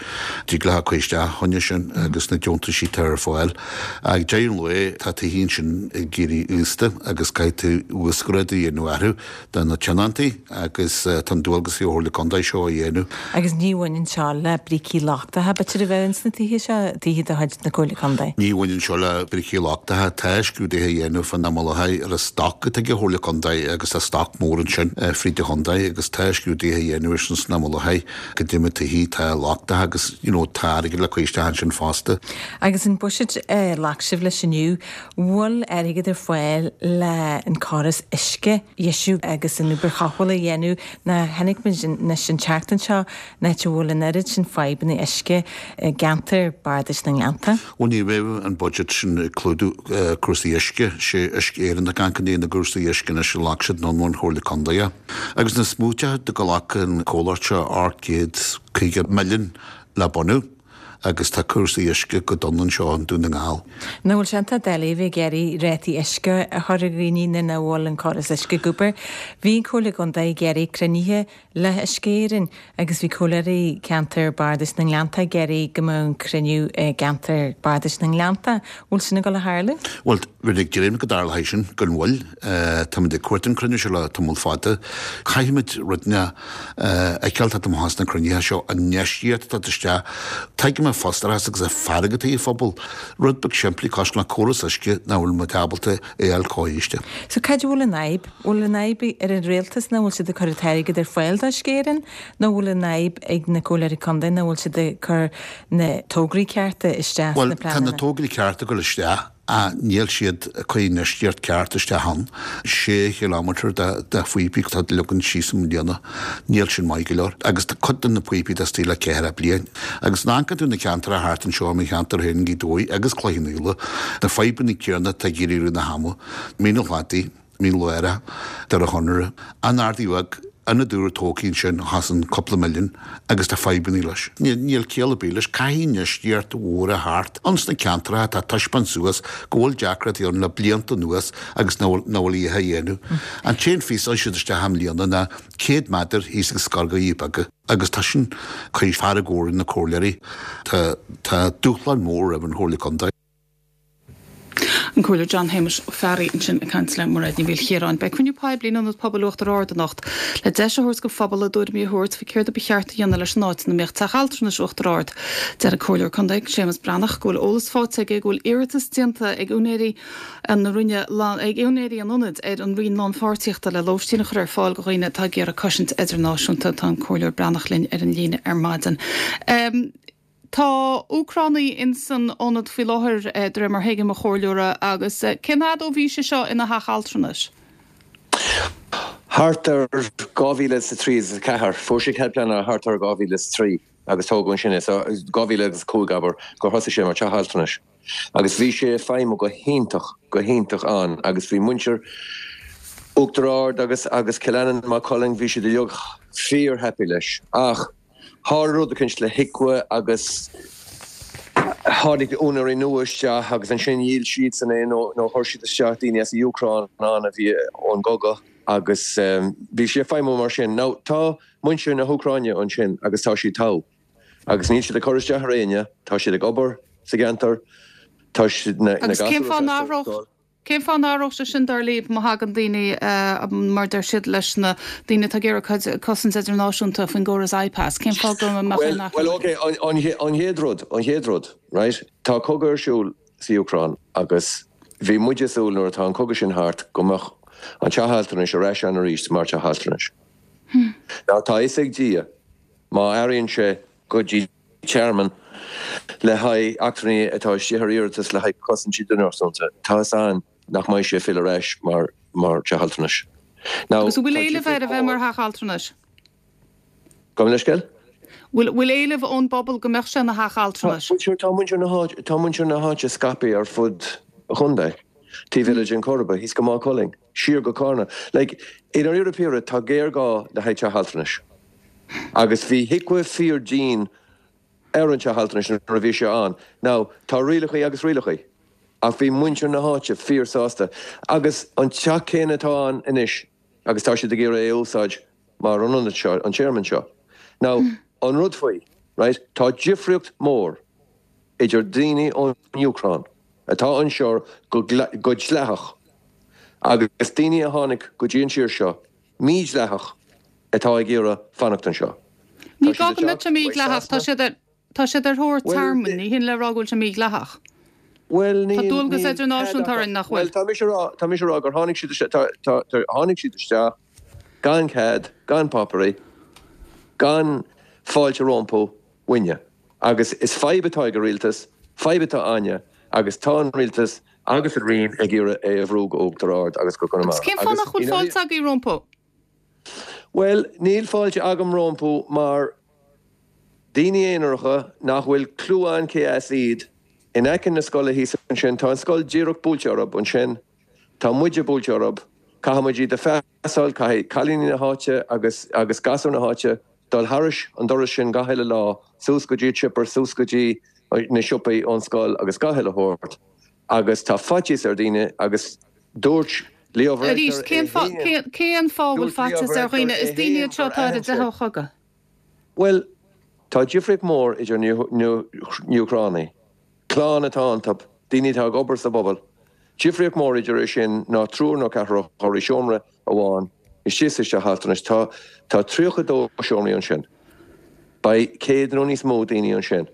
dtig leo cur isteach fá choinne sin agus na deontaisí atá ar fáil. Ag deireadh an lae, tá tithe ansin ag éirí aosta agus caithfidh tú uasghrádú a dhéanamh orthu. do na tionóntaí agus tá an dualgas ar an Chomhairle Contae seo a dhéanamh. Agus ní bhaineann seo le brící lochtacha, b'fhéidir, a bheadh ins na tithe seo, tithe de chuid na Comhairle Contae? Ní bhaineann seo le brící lochtacha. Tá scrúduithe á dhéanamh fán am i láthair ar an stoc atá ag an Chomhairle Contae agus tá stoc mór ansin fríd an chontae agus tá scrúduithe á dhéanamh air sin san am i láthair goidé na tithe atá lochtach agus you know tá airgead le cur isteach ansin fosta. Agus an buiséad a ghlac sibh leis inniu, bhfuil airgead ar fáil le an córas uisce a dheisiú agus an obair chothabhála a dhéanamh ná chonaic muid anois an tseachtain seo an áit a bhfuil an oiread sin fadhbanna uisce i gceantar bardais na nGleannta. Bhuel ní raibh an budget sin ag clúdú cúrsaí uisce, sé Uisce Éireann atá ag amharc i ndiaidh na gcúrsaí uisce anois a ghlac siad anonn ón Chomhairle Contae é. Agus na smaointe do ghlac an comhlacht seo 850 milliún le bunú. agus tá cúrsaí uisce go dona anseo i nDún na nGall. Nach bhfuil sé iontach doiligh a bheith ag iarraidh rátaí uisce a chur ar dhaoine nuair nach bhfuil an córas uisce ag obair. Bhí an Comhairle Contae ag iarraidh cruinnithe le hUisce Éireann agus bhí comhairleoirí ceantar Bardais na nGleannta ag iarraidh go mbeadh an cruinniú i gceantar Bardais na nGleannta. Bhfuil sin ag dul a tharlú? Bhuel, bhí ag dréim go dtarlóidh sin gan mhoill. Táimid ag cuartú an cruinniú seo le tamall fada. Caithfimid rud a fheiceáil tá amach as na cruinnithe seo, an infheistíocht atá isteach. Tuigim. Tuigim an frustrachas agus an fearg atá ag an phobal. Rud beag simplí cosúil le córas uisce nach bhfuil muid ábalta é a fháil cóiriste. So cad é bhfuil an fhadhb? Bhfuil an fhadhb ar an rialtas nach bhfuil siad ag cur an t-airgead ar fáil d'Uisce Éireann nó bhfuil an fhadhb ag na comhairleoirí contae nach bhfuil siad ag cur na tograí cearta isteach sna pleananna? Bhuel, tá na tograí cearta ag dul isteach ach níl siad ag cur an infheistíocht ceart isteach ann. Sé chileámeter de phíopaí atá leagtha síos i mbliana. Níl sin maith go leor. Agus tá cuid de na píopaí istigh le ceathracha bliain. Agus má amharcann tú na ceantracha thart anseo i mo cheantar féin, Gaoth Dobhair agus Cloich Cheann Fhaola, na fadhbanna céanna atá ag éirí i rith na hama. Mín an Chladaigh, Mín Lárach, Doire Chonaire, an Ardaidh Bheag, ionad úr tógtha ansin a chosain cúpla milliún agus tá fadhbanna leis. Níl ciall ar bith leis. Caithfidh infheistíocht mhór a theacht ins na ceantracha atá ag taispeáint suas go bhfuil deacrachtaí ann le blianta anuas agus nach bhfuil a dhath á dhéanamh. An t-aon phíosa a chuir siad isteach i mbliana ná 100 méadar thíos ag scoil Dhoirí Beaga agus tá sin ag cur fearg mhór ar na comhairleoirí. Tá dúshlán mór roimh an Chomhairle Contae. An Comhairleoir John Shéamuis Ó Fearraigh ansin ag caint le Mairéad Ní Mhaoilchiaráin. Beidh cruinniú poiblí in Ionad Pobail Uachtar Ard anocht le deis a thabhairt don phobal a dtuairimí a thabhairt faoi céard a ba cheart a dhéanamh leis an áit ina mbíodh Teach Altranais Uachtar Ard. Deir an Comhairleoir Contae, Séamus Breathnach, go bhfuil eolas faighte aige go bhfuil iarratas déanta ag úinéirí an Roinne ag úinéirí an ionaid ar an Roinn Lánpháirtíochta le lóistín a chur ar fáil do dhaoine atá ag iarraidh cosaint idirnáisiúnta. Tá an Comhairleoir Breathnach linn ar an líne ar maidin. Tá Úcránaigh ins an ionad faoi láthair, de réir mar thuigim, a Chomhairleora, agus cén fhad ó bhí sé seo ina theach altranais? Thart ar 2003 is 4. Fuair sé cead pleanála thart ar 2003 agus tógadh ansin é. So 2005, abair, gur thosaigh sé mar teach altranais. Agus bhí sé ag feidhmiú go hiontach, go hiontach ann agus bhí muintir Uachtar Ard agus agus Cill Aininn, Maigh Cuilinn, bhí siad uilig fíor happy leis. Ach tharla rud eicínt le HIQA agus tháinig úinéirí nua isteach agus ansin dhíol siadsan é nó nó chuir siad isteach daoine as an Úcráin ann a bhí ón gcogadh agus bhí sé ag feidhmiú mar sin. Now tá muintir na hÚcráine ansin agus tá siad togha. Agus níl siad ag cur isteach ar éinne, tá siad ag obair sa gceantar, tá siad, na Agus cén gasúir fáth ag nach freastal ar raibh, scoil. cén fáth nach raibh sé sin dar libh má thagann daoine, mar deir siad leis na daoine atá ag iarraidh cosaint idirnáisiúnta faoin gcóras IPAS, cén fáth go mbeadh Bhuel, aon athrú bhuel ann? ok, an, an chéad rud, an chéad rud, right, tá cogadh ar siúl sa Úcráin agus bhí muid ag súil nuair atá an cogadh sin thart go mbeadh an teach altranais ar ais ann arís mar teach altranais. Now tá a fhios ag Dia Má athraíonn sé go dtí tearmann le haghaidh eachtrannaigh atá istigh ar iarratas le haghaidh cosaint idirnáisiúnta, tá fhios a'inn nach mbeidh sé ag filleadh ar ais mar mar teach altranais. Now, Agus an bhfuil éileamh air a bheith mar theach altranais? Gabh mo leithscéal? Bhfuil bhfuil éileamh ón bpobal go mbeadh sé ina theach altranais? Tá tá muintir na háite tá muintir na háite scaipthe ar fud an chontae, taobh eile den Choirb, thíos go Maigh Cuilinn, siar go Carna. Like, i ndáiríre píre, tá géarghá le haghaidh teach altranais. Agus bhí HIQA fíor dian ar an teach altranais nuair a bhí sé ann. Now, tá rialachaí agus rialachaí. Ach bhí muintir na háite fíor sásta. Agus an teach céanna atá ann anois agus tá siad ag iarraidh é a úsáid mar an ionad seo, an tearmann seo. Now, an rud faoi, right, tá difríocht mór idir daoine ón Úcráin atá anseo go dleathach agus daoine a tháinig go dtí an tír seo mídhleathach atá ag iarraidh fanacht anseo. Ní gá go mbeadh sé mídhleathach, tá siad ar, tá siad ar thóir tearmainn, ní hin le rá go bhfuil sé mídhleathach. Bhuel, Tá dualgas idirnáisiúnta orainn, nach bhfuil? Bhuel, tá mise a rá, tá mise a rá gur tháinig siad isteach, tá, tá, tá, tháinig siad isteach gan cead, gan páipéirí, gan fáilte rompu uainne. Agus is fadhb atá ag an rialtas, fadhb atá a'inne agus tá an rialtas agus an Roinn ag iarraidh é a bhrú go Uachtar Ard agus go Conamara. Agus cén fáth nach bhfuil fáilte agaibh rompu? Bhuel, níl fáilte agam rompu mar daoine aonaracha nach bhfuil clue a'inn cé as iad, in aice na scoile thíos ansin, tá an scoil díreach buailte orthu ansin, tá muide buailte orthu, caithfidh muid iad a phasáil, caithfidh cailíní na háite agus agus gasúir na háite dul thairis an doras sin gach uile lá, suas go dtí an chipper, suas go dtí na siopaí ón scoil agus gach uile shórt agus tá faitíos ar daoine agus dúirt Leo Varadkar Arís, é cén fáth, féin, cén fáth a bhfuil dúirt Leo faitíos ar Varadkar dhaoine? é Is daoine féin iad seo gur atá ar a aithin sé. dteitheadh ó chogadh. Bhuel, tá difríocht mór idir na hÚcránaigh, clann atá iontu, daoine atá ag obair sa bpobal, difríocht mór idir é sin ná triúr nó ceathrar a chur i seomra amháin istigh sa teach altranais. Tá tá 32 seomraí ansin. Beidh 100 nó níos mó daoine ansin.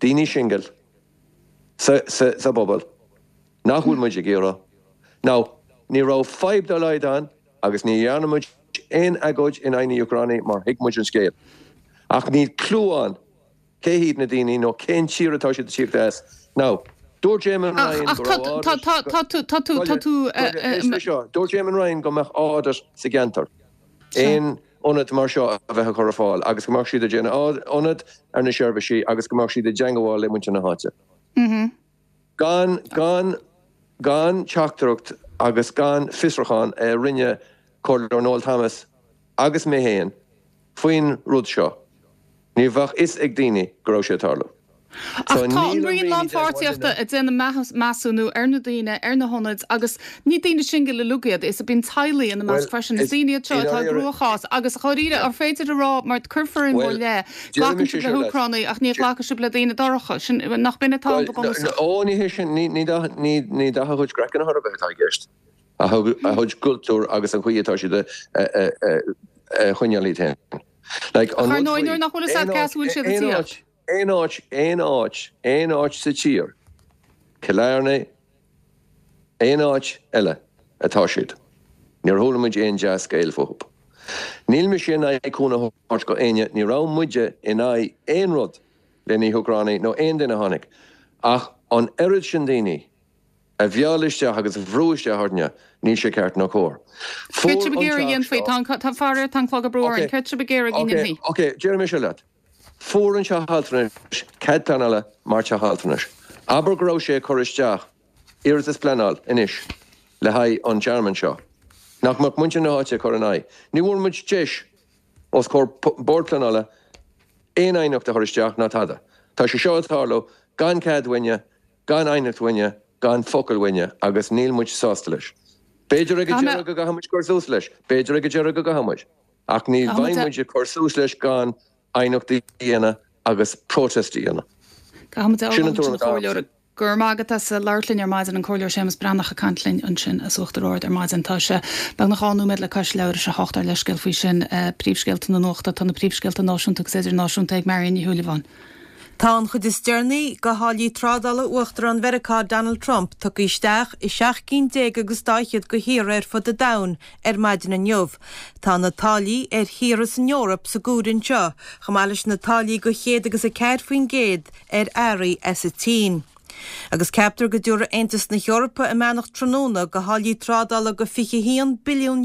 Daoine singil sa sa bpobal nach bhfuil muid ag iarraidh. Now, ní raibh fadhb dá laghad ann agus ní dhearna muid aon agóid in aghaidh na hÚcránaigh mar thuig muid an scéal. Ach níl clue ann cé hiad na daoine nó cén tír atá siad ag tíocht as. Now, dúirt Eamon Ryan go raibh audit go, dúirt Eamon Ryan go mbeadh audit sa gceantar. Aon ionad mar seo a bheith á chur ar fáil agus go mbeadh siad ag déanamh audit ar na seirbhísí agus go mbeadh siad i dteangmháil le muintir na háite. Gan, gan, gan teachtaireacht agus gan fiosrúchán a rinne Comhairleoir Noel Thomas agus mé féin faoin rud seo, ní bheadh fhios ag daoine go raibh sé ag tarlú. Ach tá an Roinn Lánpháirtíochta ag déanamh measúnú ar na daoine, ar na hionaid agus ní daoine singil uilig iad, is bíonn teaghlaigh ina measc freisin. Is daoine iad seo atá i gcruachás agus dháiríre, an féidir a rá, mar cuirfear in bhur leith, glacann sibh le hÚcránaigh ach ní ghlacfaidh sibh le daoine dorcha, sin, nach b'in atá ann go bunúsach? Ó, ní hé sin, ní dath, ní dath a gcuid craicinn ar bith atá i gceist, a gcuid cultúr agus an chaoi atá siad a choinneáil iad féin. Like, an rud faoi, nach bhfuil a fhios agat cá as a bhfuil siad ag tíocht. Aon áit, aon áit, aon áit sa tír, Cill Airne, aon áit eile atá siad. Níor chuala muid aon dea-scéal fúthu. Níl mise in aghaidh cúnamh a thabhairt go éinne, ní raibh muide in aghaidh aon rud le na hÚcránaigh nó aon duine a tháinig, ach an oiread sin daoine a mhealladh isteach agus a bhrú isteach orainne, níl sé ceart ná cóir. Céard tá sibh ag iarraidh a dhéanfaí? Tá, faraor, tá an clog ag brú orainn. Céard tá sibh ag iarraidh go ndéanfaí? Ok, déarfaidh mise leat. Fuair an teach altranais cead pleanála mar teach altranais. Abair go raibh sé ag cur isteach iarratas pleanáil anois le haghaidh an tearmann seo. Nach mbeadh muintir na háite ag cur in aghaidh? Ní bhfuair muid deis os comhair bord pleanála aon aighneacht a chur isteach ná tada. Tá sé seo ag tarlú gan cead uainne, gan aighneacht uainne, gan focal uainne agus níl muid sásta leis. B'fhéidir ag an deireadh go gcaithfidh muid cur suas leis, b'fhéidir ag an deireadh go gcaithfidh muid. Ach ní bheidh muid ag cur suas leis gan aighneacht a dhéanamh agus protest a dhéanamh. Caithfimid a Sin an tuairim atá agamsa. Go raibh maith agat as labhairt linn ar maidin, an Comhairleoir Séamus Breathnach ag caint linn ansin as Uachtar Ard ar maidin. Tá sé beagnach 12 nóiméad le cois leathuair tar éis a hocht ár leithscéal faoi sin. Príomhscéalta na nuachta, tá na príomhscéalta náisiúnta agus idirnáisiúnta ag Marion Ní Shúilleabháin. Tá an chuid is deireanaí de tháillí trádála Uachtarán Mheiriceá Donald Trump tugtha isteach i seacht gcinn déag agus dá fhichead de thíortha ar fud an domhain ar maidin inniu. Tá na táillí ar thíortha san Eoraip sa gcomhaireamh anseo, chomh maith leis na táillí de 104% ar earraí as an tSín. Agus ceaptar go dtabharfaidh Aontas na hEorpa a mbeannacht tráthnóna do tháillí trádála de €21 billiún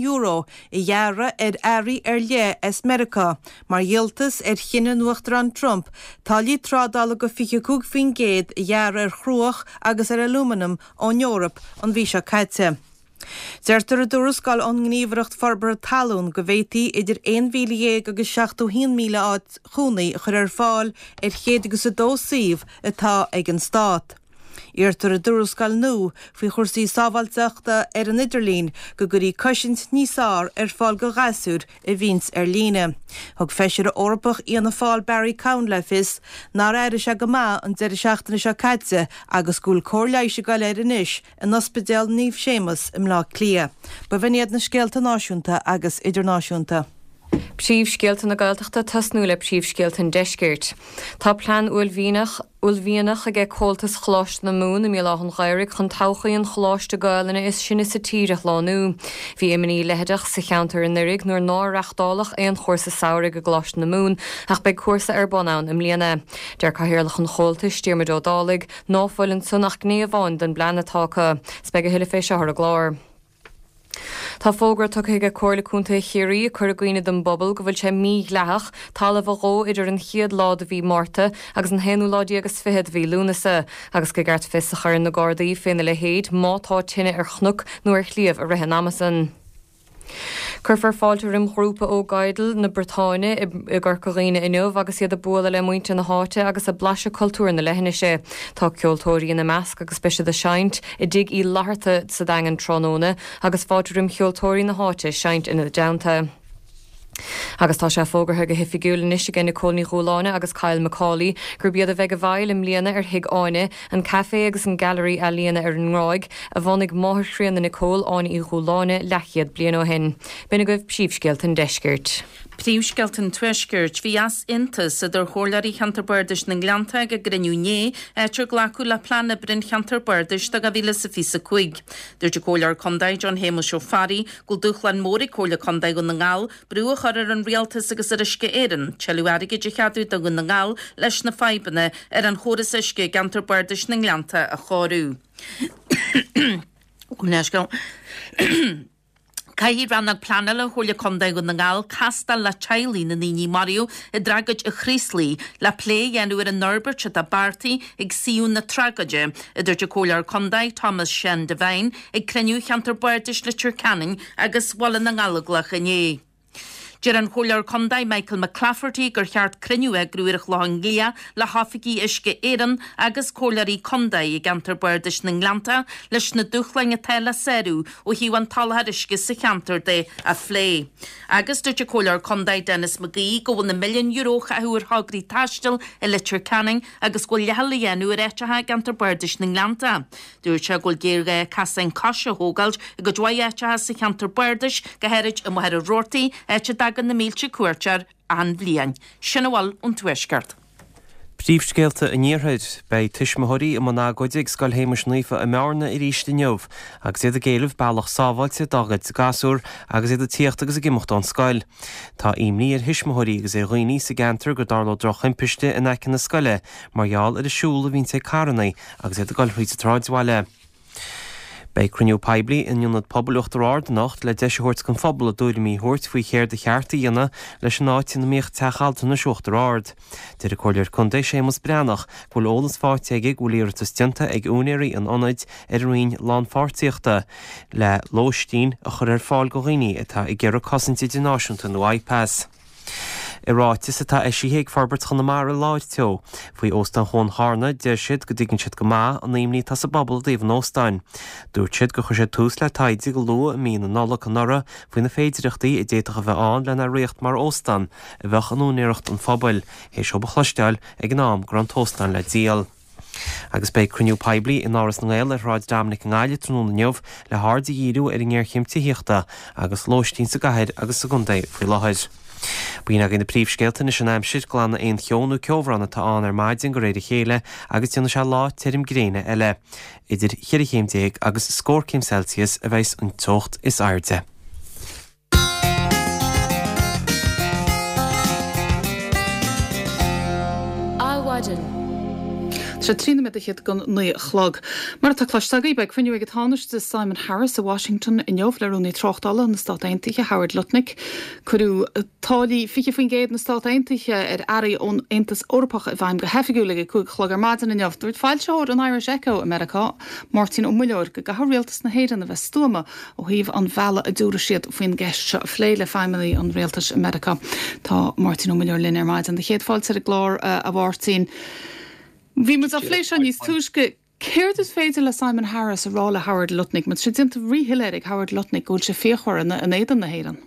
a ghearradh ar earraí ar leith as Meiriceá mar dhíoltas ar chinneadh an Uachtaráin Trump táillí trádála de 25% a ghearradh ar chruach agus ar alúmanam ón Eoraip an mhí seo caite. Deirtear i dtuarascáil ón nGníomhaireacht Forbartha Talún go bhféadfaí idir 11,000 agus 71,000 áit chónaí a chur ar fáil ar chéad agus a dó suíomh atá ag an Stát. Iarrtar i dtuarascáil nua faoi chúrsaí sábháilteachta ar an idirlíon go gcuirfí cosaint níos fearr ar fáil do ghasúir a bhíonns ar líne. Thug Feisire Eorpach Fhianna Fáil Barry Cowen le fios nár airigh sé go maith an deireadh seachtaine seo caite agus go bhfuil cóir leighis ag goil air anois in Ospidéal Naomh Séamus i mBleá Cliath. B'in iad na scéalta náisiúnta agus idirnáisiúnta. Príomhscéalta na Gaeltachta tosnú le príomhscéalta an Deiscirt. Tá plean uaillmhianach uaillmhianach aige Comhaltas Choláiste na Mumhan i mBéal Átha an Ghaorthaidh chun todhchaí an choláiste Gaelainne is sine sa tír a shlánú. Bhí imní leitheadach sa cheantar anuraidh nuair nár reachtáladh aon chúrsa samhraidh i gColáiste na Mumhan ach beidh cúrsa ar bun ann i mbliana. Deir Cathaoirleach an Chomhaltais, Diarmuid Ó Dálaigh, Ná fuil ansan ach gné amháin den bplean atá acu. 'S beidh a thuilleadh fé seo ar an gclár. Tá fógra tugtha aige Comhairle Contae Chiarraí ag cur i gcuimhne don bpobal go bhfuil sé mídhleathach talamh a dhó idir an chéad lá de mhí Márta agus an haonú lá déag is fiche de mhí Lúnasa agus gur ceart fios a chur ar na Gardaí féna leithéid má tá tine ar chnoc nó ar shliabh i rith an ama san. Cuirfear fáilte roim ghrúpa ó Gaidheal na Briotáine i gCorca Dhuibhne inniu agus iad ag bualadh le muintir na háite agus ag blaiseadh cultúr na leithinise. Tá ceoltóirí ina measc agus beidh siad ag seinnt i dTigh Uí Fhlatharta sa Daingean tráthnóna agus fáilte roim cheoltóirí na háite seinnt ina dteannta. Agus tá sé fógartha go hoifigiúil anois aige Nicole Ní Dhúláine agus Kyle Macaulay gurb iad a bheidh i bhfeighil i mbliana ar Thigh Áine, an caifé agus an gailearaí ealaíona ar an nGráig, a bhunaigh máthair chríonna Nicole, Áine Uí Dhúláine, leathchéad bliain ó shin. B'in agaibh príomhscéalta an deiscirt. Príomhscéalta an Tuaiscirt. Bhí easaontas idir Chomhairleoirí Cheantar Bardais na nGleannta ag a gcruinniú inné, áit ar glacadh le Plean Oibre an Cheantair Bardais do 2025. Dúirt an Comhairleoir Contae John Shéamuis Ó Fearraigh go bhfuil dúshlán mór ag Comhairle Contae Dhún na nGall brú a chur ar an Rialtas agus ar Uisce Éireann tuilleadh airgid a cheadú do Dhún na nGall leis na fadhbanna ar an chóras uisce i gCeantar Bardais na nGleannta a chóiriú. Caithfidh Rannóg Pleanála Chomhairle Contae Dhún na nGall castáil le teaghlaigh na ndaoine a maraíodh i dtragóid an Chraoslaigh le plé a dhéanamh ar an fhorbairt atá beartaithe ag suíomh na tragóide, a dúirt an Comhairleoir Contae Thomas Seán Devine ag cruinniú Cheantar Bardais Leitir Ceanainn agus Bhaile na nGallóglach inné. Deir an Comhairleoir Contae Michael McClafferty gur cheart cruinniú a eagrú ar an Chlochán Liath le hoifigigh Uisce Éireann agus Comhairleoirí Contae i gceantar Bardais na nGleannta leis na dúshláin atá le sárú ó thaobh an tsoláthair uisce sa cheantar de a phlé. Agus dúirt an Comhairleoir Contae Denis McGee go bhfuil na milliúin euro a caitheadh ar thograí taistil i Leitir Ceanainn agus go bhfuil leithcheal á dhéanamh ar áiteacha i gceantar Bardais na nGleannta. Dúirt sé go bhfuil géarghá casáin coise a thógáilt i gcuid mhaith áiteacha sa cheantar bardais, go háirid i Machaire Rabhartaigh, áit a dtagann na mílte cuairteoir achan bhliain. Sin a bhfuil ón Tuaisceart. Príomhscéalta an Iarthair. Beidh tuismitheoirí i mbun agóide ag Scoil Shéamuis Naofa i mBearna arís inniu agus iad ag éileamh bealach sábháilte dá gcuid gasúr agus iad ag tíocht agus ag imeacht ón scoil. Tá imní ar thuismitheoirí agus ar dhaoine sa gceantar go dtarlódh drochthimpiste in aice na scoile mar gheall ar an siúl a bhíonns ag carranna agus iad ag dul thríd an tsráidbhaile. Beidh cruinniú poiblí in Ionad Pobail Uachtar Ard anocht le deis a thabhairt don phobal a dtuairimí a thabhairt faoi chéard ba cheart a dhéanamh leis an áit ina mbíodh Teach Altranais Uachtar Ard. Deir an Comhairleoir Contae Séamus Breathnach go bhfuil eolas faighte aige go bhfuil iarratas déanta ag úinéirí an ionaid ar an Roinn Lánpháirtíochta le lóistín a chur ar fáil do dhaoine atá ag iarraidh cosaint idirnáisiúnta nó IPAS. I ráiteas atá eisithe ag Forbairt Chonamara Láir Teo. faoi Óstán Chuan Charna, deir siad go dtuigeann siad go maith an imní atá sa bpobal i dtaobh an óstáin. Dúirt siad gur chuir siad tús le taighde go luath i mí na Nollag anuraidh faoi na féidireachtaí a d'fhéadfadh a bheith ann lena riocht mar óstán a bheadh in úinéireacht an phobail, théis dóibh a chloisteáil ag an am go raibh an t-óstán le díol. Agus beidh cruinniú poiblí in Áras na nGael ar Shráid Dominic i nGaillimh tráthnóna inniu le haird a dhíriú ar an ngéarchéim tithíochta agus lóistín sa gcathair agus sa gcontae faoi láthair. B'in agaibh na príomhscéalta anois an aimsir, glanadh aon cheo nó ceobhrán atá ann ar maidin de réir a chéile agus déanfaidh sé lá tirim gréine eile. Idir cheithre chéim déag agus scór céim Celsius a bheas an teocht is airde. Adhmhaidin. Tá sé 13 nóiméad don 9 a chlog. Mar atá cloiste agaibh, beidh cruinniú ag an Tánaiste Simon Harris i Washington inniu le Rúnaí Tráchtála na Stát Aontaithe, Howard Lutnick. Cuireadh táillí 20% na Stát Aontaithe ar earraí ón Aontas Eorpach i bhfeidhm go hoifigiúil ag a 5 a chlog ar maidin inniu. Dúirt foilsitheoir an Irish Echo i Meiriceá, Máirtín Ó Muilleoir, go gcaithfidh rialtas na hÉireann a bheith stuama Ó thaobh an bhealaigh a dtabharfaidh siad faoin gceist seo a phlé le feidhmeannaigh an rialtais i Meiriceá. Tá Máirtín Ó Muilleoir linn ar maidin. Do chéad fáilte ar an gclár, a Mháirtín. Bhí muid á phlé seo níos túisce. Céard is féidir le Simon Harris a rá le Howard Lutnick? Mar tá sé déanta ríshoiléir ag Howard Lutnick go bhfuil sé fíochmhar in éadan na hÉireann.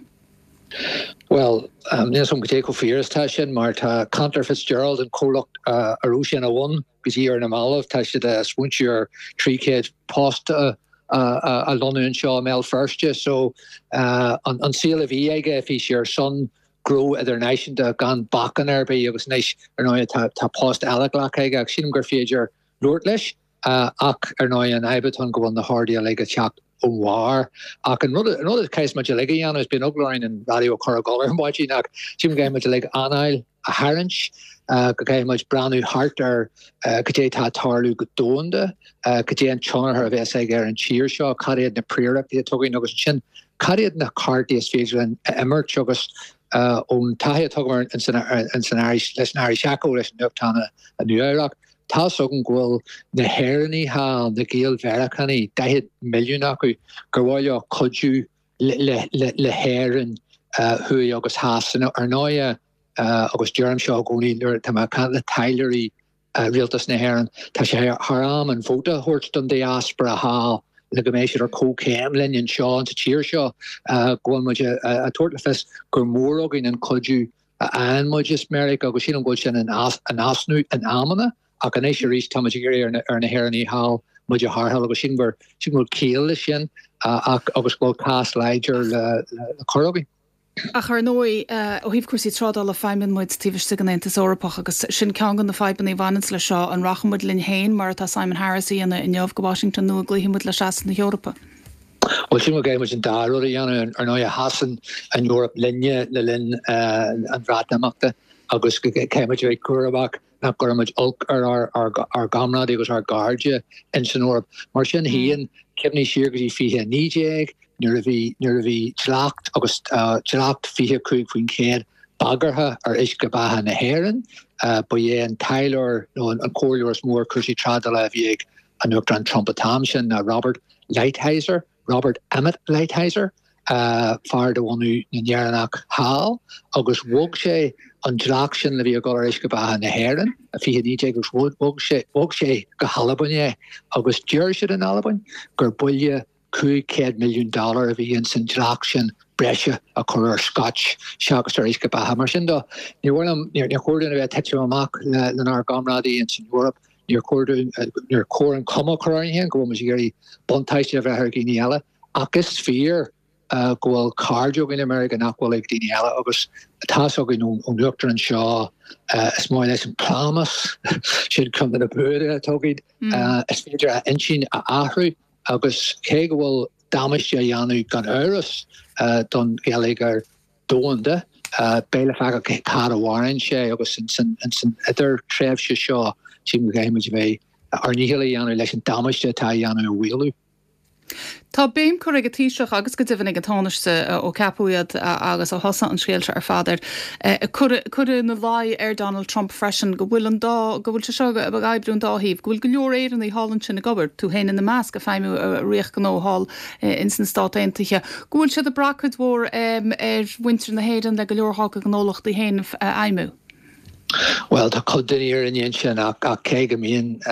Bhuel, níl 'fhios agam goidé chomh fíor is atá sin mar tá Cantor Fitzgerald, an comhlacht a raibh sé ina bhun go dtí ar na mallaibh, tá siad ag smaointiú ar 300 post a a lonnú anseo i mBéal Feirste. So an saol a bhí aige, bhí sé ar son gnó idirnáisiúnta gan bacainn ar bith agus anois ar ndóigh tá tá post eile glactha aige ach sílim gur féidir labhairt leis ach ar ndóigh an fhadhb atá ann go bhfuil na horduithe uilig ag teacht ón bharr. Ach an rud an rud a chaithfeas muid uilig a dhéanamh is bíonn eagla orainn an raidió a chur ag gol ar maidin ach sílim go gcaithfidh muid uilig anáil a tharraingt, go gcaithfidh muid breathnú thart ar cad é atá ag tarlú go domhanda, cad é an tionchar a bheas aige ar an tír seo, cad iad na príorachtaí atá againn agus ansin cad iad na cártaí is féidir linn a imirt agus ón taithí atá agam ins an Irish, leis an Irish Echo, leis an nuachtán i Nua-Eabhrac, tá's agam go bhfuil na hÉireannaigh thall, na Gael-Mheiriceánaigh, 40 milliún acu, gur mhaith leo cuidiú le hÉirinn thuaidh agus theas. Ar ndóighe, agus deirim seo i gcónaí nuair atá mé ag caint le taidhleoirí Rialtas na hÉireann, tá sé thar am an vóta a thabhairt don diaspora thall le go mbeidh siad ar comhchéim linn anseo sa tír seo, go bhfuil muid ag tabhairt le fios gur mór againn an cuidiú a fhaigheann muid as Meiriceá agus sílim go bhfuil sin in easnamh in amanna ach anois arís tá muid ag iarraidh ar na hÉireannaigh thall muid a tharrtháil agus sílim gur sílim go bhfuil ciall leis sin ach agus go bhfuil cás láidir le cur againn. Ach ar ndóigh, ó thaobh cúrsaí trádála, feidhmíonn muid taobh istigh den Aontas Eorpach agus sin ceann de na fadhbanna a bhaineanns leis seo, an rachaidh muid linn féin, mar atá Simon Harris a dhéanamh inniu, go Washington nó an gcloífidh muid le seasamh na hEorpa? Bhuel, sílim go gcaithfidh muid an dá rud a dhéanamh. Ar ndóigh, sheas an Eoraip linne le linn an Bhreatimeachta agus go gcaithfidh muid a bheith cúramach nach gcuirfidh muid olc ar ár gcomrádaí agus ár gcairde ins an Eoraip. Mar sin féin, cuimhnigh siar go dtí 2019 nuair a bhí nuair a bhí dleacht agus dleacht 25% bagartha ar uisce beatha na hÉireann. Ba é an taidhleoir nó an comhairleoir is mó ar chúrsaí trádála a bhí ag an Uachtarán Trump an t-am sin ná Robert Lighthizer. Robert Emmett Lighthizer, fear de bhunadh na nÉireannach thall, agus bhog sé an dleacht sin a bhí ag dul ar uisce beatha na hÉireann i 2019 agus bhog sé bhog sé go hAlbain é agus deir siad in Albain gur buille 500 milliún dollar a bhí ins an dleacht sin breise a chur ar Scotch seachas ar uisce beatha. Mar sin de, ní níor chóir dúinn a bheith ag titim amach lenár gcomrádaí ins an Eoraip. Níor chóir dúinn, níor chóir an chuma a chur orainn féin go bhfuil muid ag iarraidh buntáiste a bheith ar dhaoine eile, ach is fíor go bhfuil cairde againn i Meiriceá nach bhfuil ag daoine eile agus tá's againn ón Uachtarán seo, is maith leis an plámás, sin ceann de na buanna atá againn, is féidir a intinn a athrú agus cé go bhfuil damáiste á dhéanamh gan amhras don gheilleagar, domhanda. Beidh le feiceáil cá fhad a mhaireann sé agus ins an idirthréimhse seo sílim go gcaithfidh muid a bheith ár ndícheall a dhéanamh leis an damáiste atá á dhéanamh a mhaolú. Tá béim curtha ag an Taoiseach agus go deimhin ag an Tánaiste ó ceapadh iad agus ó thosaigh an scéal seo ar fad ar cur ina luí ar Donald Trump freisin go bhfuil an dá, go bhfuil sé seo ag oibriú an dá thaobh, go bhfuil go leor Éireannaigh thall ansin ag obair, tú féin ina measc, ag feidhmiú i riocht gnó thall ins na Stát Aontaithe, go bhfuil siad ag brath cuid mhór ar mhuintir na hÉireann le go leor dhá gcuid gnólachtaí féin a fheidhmiú. Bhuel, tá cuid den fhírinne ansin ach cé go mbíonn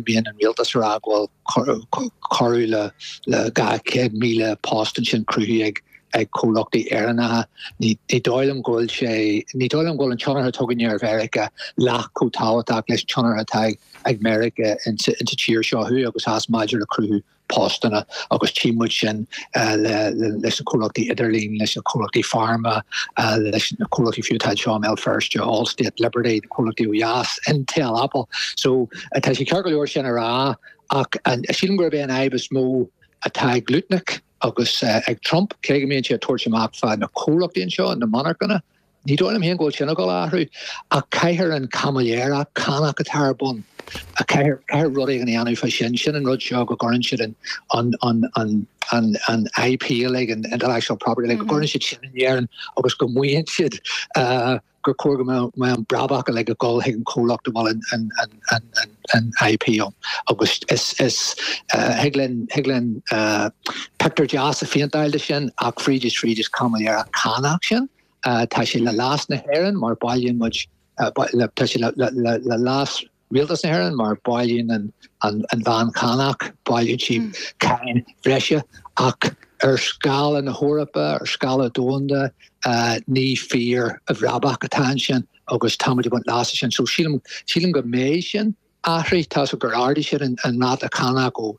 bíonn an rialtas ag rá go bhfuil corradh le 200,000 post ansin cruthaithe ag ag comhlachtaí Éireannacha, ní dóigh liom go bhfuil sé, ní dóigh liom go bhfuil an tionchar atá againne ar Mheiriceá leath chomh tábhachtach leis an tionchar atá ag Meiriceá insa tír seo thuaidh agus theas maidir le cruthú postanna agus tchí muid sin leis na comhlachtaí idirlín, leis na comhlachtaí pharma, leis na comhlachtaí fiú atá anseo i mBéal Feirste, Allstate, Liberty, na comhlachtaí ó dheas, Intel, Apple. So tá sé ceart go leor sin a rá ach sílim gurb é an fhadhb is mó atá ag Lutnick agus ag Trump, cé go mbíonn sé ag tabhairt amach fá na comhlachtaí anseo, na monarchana, Ní dóigh liom féin go bhfuil sin ag dul a athrú, ach caithfear an caimiléireacht cánach atá ar bun, caithfear, caithfear rud éigin a dhéanamh fá sin. Sin an rud seo go gcuireann siad an, an, an, an, an, an IP uilig, an intellectual property uilig, go gcuireann siad sin in Éirinn agus go maíonn siad gur chóir go mbeadh an brabach uilig ag dul chuig an chomhlacht a bhfuil an, an, an, an, an, an IP ann. Agus is, is, thig linn, thig linn pictiúr deas a phéinteáil de sin ach fríd is fríd is caimiléireacht cánach sin. Tá sé le leas na hÉireann mar bailíonn muid, tá sé le leas Rialtas na hÉireann mar bailíonn an bhean chánach, bailíonn sí cáin bhreise ach ar scála na hEorpa, ar scála domhanda, ní fíor bhrabach atá ansin agus tá muid ag baint leas as sin. So sílim, sílim go mbeidh sin. athraithe. Tá's gur ardaigh siad an ráta cánach ó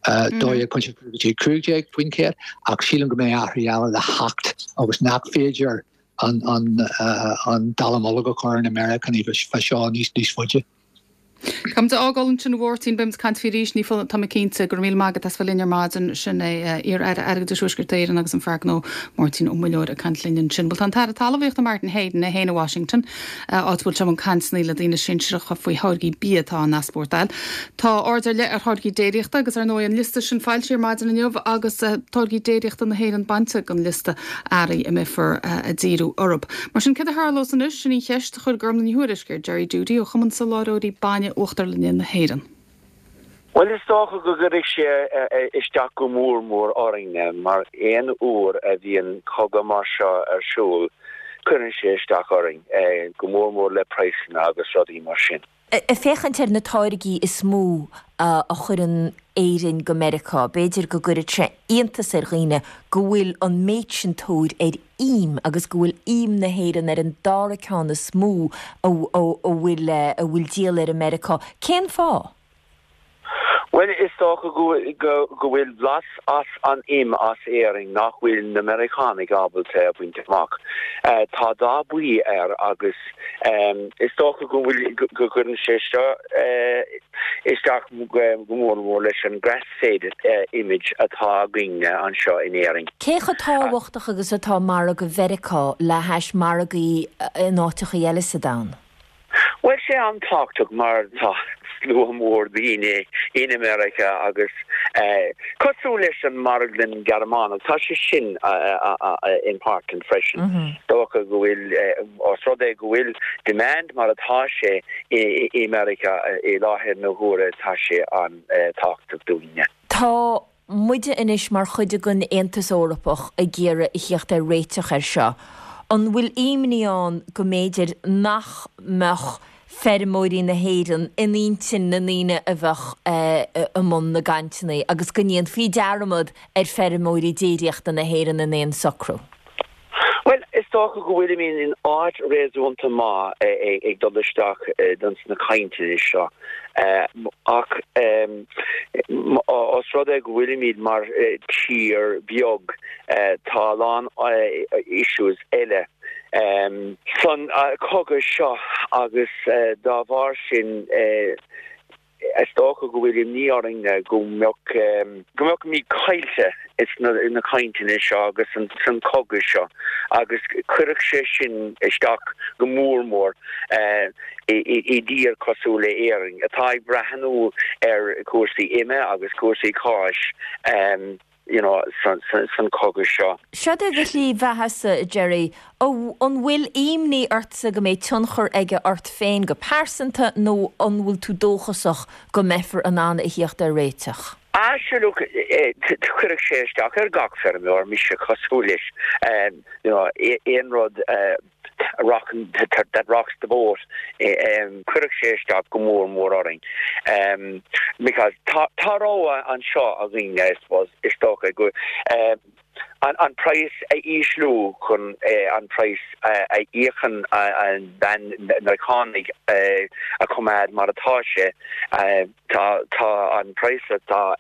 12.5 go dtí 15% ach sílim go mbeidh athruithe eile le theacht agus nach féidir an dallamullóg a chur ar na Meiriceánaigh fá seo níos faide. Táimid a fhágáil ansin a Mháirtín, beimid ag caint faoi arís, ní foláir, tá mé cinnte. Go raibh míle maith agat as bheith linn ar maidin. Sin é iar-Aire Airgeadais Thuaisceart Éireann agus an fear gnó Máirtín Ó Muilleoir ag caint linn ansin. Bhuel tá an tAire Talmhaíochta Martin Heydon é féin i Washington. áit a bhfuil sé i mbun cainteanna le daoine sinsearacha faoi tháirgí bia atá á n-easpórtáil. Tá aird ar leith ar tháirgí déiríochta agus ar ndóigh an liosta sin foilsithe ar maidin inniu agus táirgí déiríochta na hÉireann bainte den liosta earraí a mbeifear ag díriú orthu. Mar sin céard a tharlós anois? Sin í an cheist a chuir Gormlaith Ní Thuairisg ar Gerry Doody ó Chumann Soláthróirí Bainne Uachtarlainne na hÉireann. Bhuel, is dócha go gcuirfidh sé isteach go mór mór orainne, mar aon uair a bhíonn cogadh mar seo ar siúl, cuireann sé isteach orainn, go mór mór le praghsanna agus rudaí mar sin. Ag féachaint ar na táirgí is mó a chuireann Éirinn go Meiriceá, b'fhéidir go gcuirfeadh sé iontas ar dhaoine go bhfuil an méid sin tóir ar im agus go bhfuil im na hÉireann ar an dara ceann is mó a bhfuil a bhfuil díol air i Meiriceá. Cén fáth? Bhuel, is dócha go bhfuil blas as an im as Éirinn nach bhfuil na Meiriceánaigh ábalta a bhaint amach. Tá dath buí air agus is dócha go bhfuil, go gcuireann sé seo isteach go mór mór leis an grass-fed image atá againne anseo in Éirinn. Cé chomh tábhachtach agus atá margadh Mheiriceá le hais margaí in áiteachaí eile sa domhan? Bhuel, sé an-tábhachtach mar tá slua mór daoine in America agus cosúil leis an marglann Gearmánach, tá sé sin important freisin. Dócha go bhfuil, os rud é go bhfuil demand mar atá sé i America i láthair na huaire, tá sé an-tábhachtach dúinne. Tá muide anois mar chuid den Aontas Eorpach ag iarraidh a thíocht ar réiteach air seo. An bhfuil imní ann go mb'fhéidir nach mbeadh feirmeoirí na hÉireann in intinn na ndaoine a bheadh i mbun na gcainteanna agus go ndéanfaí dearmad ar feirmeoirí déiríochta na hÉireann in aon socrú? Bhuel, is dócha go bhfuilimid in áit réasúnta maith ag dul isteach dons na cainteanna seo ach os rud é go bhfuilimid mar tír beag tá a lán issues eile san cogadh seo agus dá bharr sin Is dócha go bhfuil imní orainn go mbeadh go mbeimid caillte sna cainteanna seo agus san cogadh seo agus cuirfeadh sé sin isteach go mór mór i dtír cosúil le Éirinn atá ag breathnú ar chúrsaí ime agus cúrsaí cáis. you know, san chogadh seo. Seo é do shlí bheathasa, a Jerry. An bhfuil imní ortsa go mbeidh tionchar aige ort féin go pearsanta nó an bhfuil tú dóchasach go mbeifear in ann a thíocht ar réiteach? Ah, sure, look, cuirfidh sé isteach ar gach feirmeoir, mise cosúil leis, you know, aon rud rock, that rocks the boat, cuirfidh sé isteach go mór mór orainn. Because tá tá rogha anseo againn, I suppose, is dócha go an praghas a ísliú chun an praghas a íocann an bean Meiriceánaigh a choimeád mar atá sé. Tá tá an praghas atá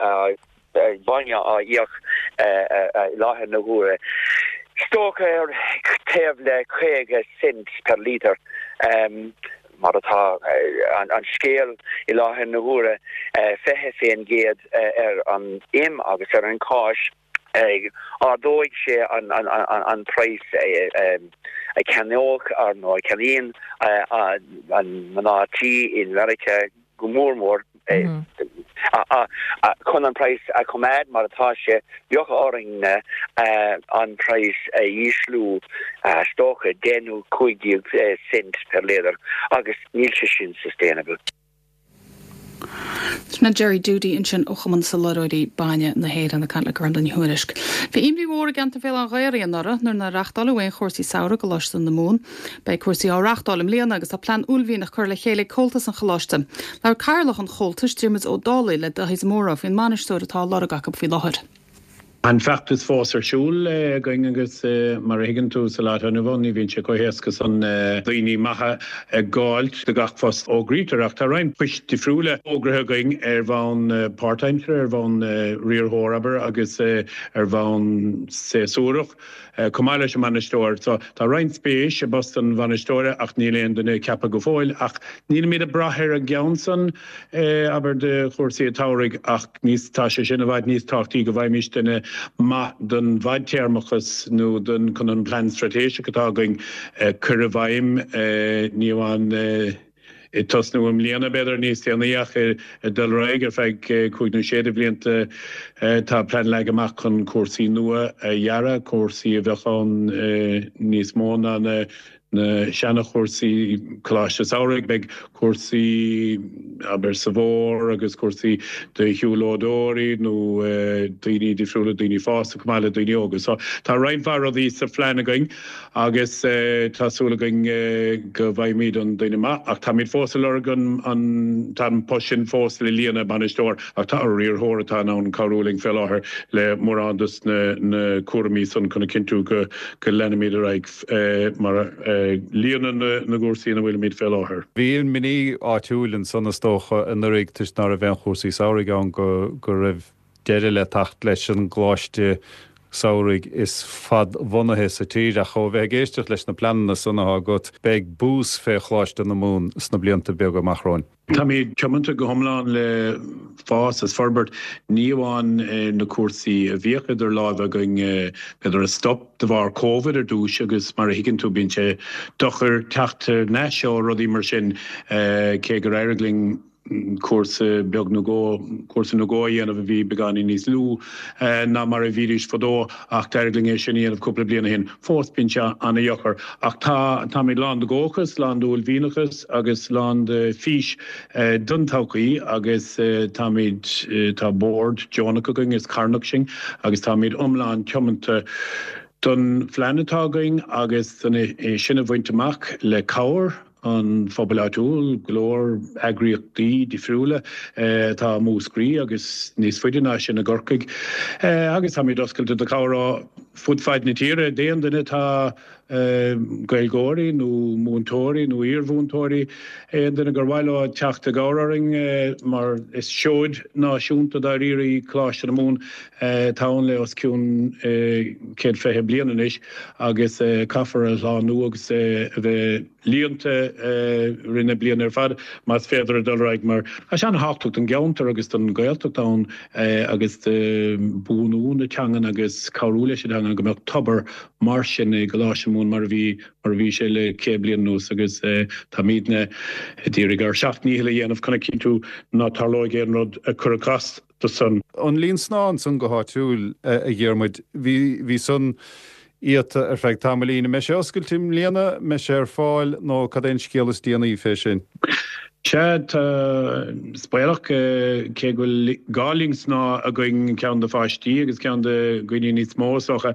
bainne á íoc i láthair na huaire. Is dócha ar taobh le 50 cent per litre mar atá an scéal i láthair na huaire, 20% ar an im agus ar an cáis. Ardóidh sé an praghas a cheannódh nó a cheannaíonn an mná tí i Meiriceá go mór mór. Chun an praghas a choimeád mar atá sé, bheadh orainn an praghas a ísliú is dócha 10 nó 15 cent per litre agus níl sé sin sustainable. Sin é Jerry Doody ansin ó Chumann Soláthróirí Bainne na hÉireann ag caint le Gormfhlaith Ní Thuairisg. Bhí imní mhór i gceantar Bhéal Átha an Ghaorthaidh anuraidh nuair nár reachtáileadh aon chúrsaí samhraidh i gColáiste na Mumhan. Beidh cúrsaí á reachtáil i mbliana agus tá plean uaillmhianach curtha le chéile ag Comhaltas an Choláiste. Labhair Cathaoirleach an Chomhaltais, Diarmuid Ó Dálaigh, le Dáithí de Mórdha faoin mbainisteoir atá á lorg acu faoi láthair. Tá an feachtas fós ar siúl againn agus mar a thuigeann tú sa lá atá inniu ann ní bhíonn sé chomh héasca san daoine maithe a dh'fháilt do gach post a fhógraítear ach tá roinnt poist difriúla fógraithe againn ar bhonn páirtaimseartha, ar bhonn riarthóir abair agus ar bhonn séasúrach. Chomh maith leis an mbainisteoir. So, tá roinnt spéis i bpost an bhainisteora ach níl aon duine ceaptha go fóill. Ach nílimid ag brath ar an gceann san, abair, do chúrsaí an tsamhraidh ach níos, tá sé sin i bhfad níos tábhachtaí go bhfaighimís duine maith don bhfadtéarmachas nó don, chun an plean straitéiseach atá againn a chur i bhfeidhm, ní amháin ag tosnú i mbliana, b'fhéidir níos déanaí, ach ag dul ar aghaidh ar feadh cúig nó sé de bhlianta. Tá plean leagtha amach chun cúrsaí nua a dhearadh, cúrsaí a bheadh ann níos mó ná na seana-chúrsaí Coláiste Samhraidh. Beidh cúrsaí, abair, sa bhfómhar agus cúrsaí do shiúlóideoirí nó daoine difriúla, daoine fásta chomh maith le daoine óga. So tá roinnt mhaith rudaí sa phlean againn. Agus tá súil againn go bhfaighimid an duine maith. Ach táimid fós ag lorg an, an, tá an post sin fós le líonadh, bainisteoir, ach tá riarthóir atá in ann cabhrú linn fé láthair le mórán dos na, na cúraimí san chun a chinntiú go, go leanfaimid ar aghaidh mar a. Líonadh na gcúrsaí ina bhfuilimid fé láthair. Bhí imní áitiúil ansan is dócha anuraidh toisc ná raibh aon chúrsaí samhraidh ann go go raibh deireadh le teacht leis an gcoláiste samhraidh is fadbhunaithe sa tír ach ó bheith ag éisteacht leis na pleananna san atá agat beidh bús fé Choláiste na Mumhan sna blianta beaga amach romhainn. Táimid tiomanta go hiomlán le fás is forbairt, ní amháin na cúrsaí a bhíodh idir láimhe againn, b'fhéidir a stop de bharr Covid ar dtús agus mar a thuigeann tú bíonn sé deacair teacht thar n-ais ó rudaí mar sin cé gur éirigh linn cúrsa beag nó dhó, cúrsa nó dhó a dhéanamh a bhí beagáinín níos lú ná mar a bhídís fadó ach d'éirigh linn é sin a dhéanamh cúpla bliain ó shin. Fós bíonn sé an-dheacair ach tá, táimid lán de dhóchas, lán d'uaillmhianachas agus lán de fís don todhchaí agus táimid, tá bord deonach againn is carthanach sinn agus táimid iomlán tiomanta don phlean atá againn agus don é sin a bhaint amach le cabhair an phobail áitiúil, go leor eagraíochtaí difriúla atá i Múscraí agus níos faide ná sin i gCorcaigh agus táimid oscailte do chabhair ó fud fad na tíre d'aon duine atá Gaeilgeoirí nó múinteoirí nó iarmhúinteoirí, aon duine gur mhaith leo teacht i gcabhair orainn mar is seoid náisiúnta dáiríre í Coláiste na Mumhan atá ann le os cionn 120 bliain anois agus caithfear a shlánú agus a bheith líonta i rith na bliana ar fad más féidir a dul ar aghaidh mar tá sé an-thábhachtach don gceantar agus don Ghaeltacht ann agus do bhuanú na teangan agus cabhrú leis an teangan go mbeadh tobar mar sin i gColáiste na Mumhan mar a bhí mar a bhí sé le 100 bliain anuas agus táimidne ag iarraidh ár seacht ndícheall a dhéanamh chun a chinntiú ná tarlóidh aon rud a chuirfeadh as do san. An linn snámha ansan go háitiúil, a Dhiarmuid, bhí, bhí san iata ar feadh tamaillín. An mbeidh sé oscailte i mbliana, an mbeidh sé ar fáil nó cad é an scéal is déanaí fé sin? Sea, tá, is baolach, cé go bhfuil dhá linn snámha againn, ceann do pháistí agus ceann do dhaoine níos mó is dócha,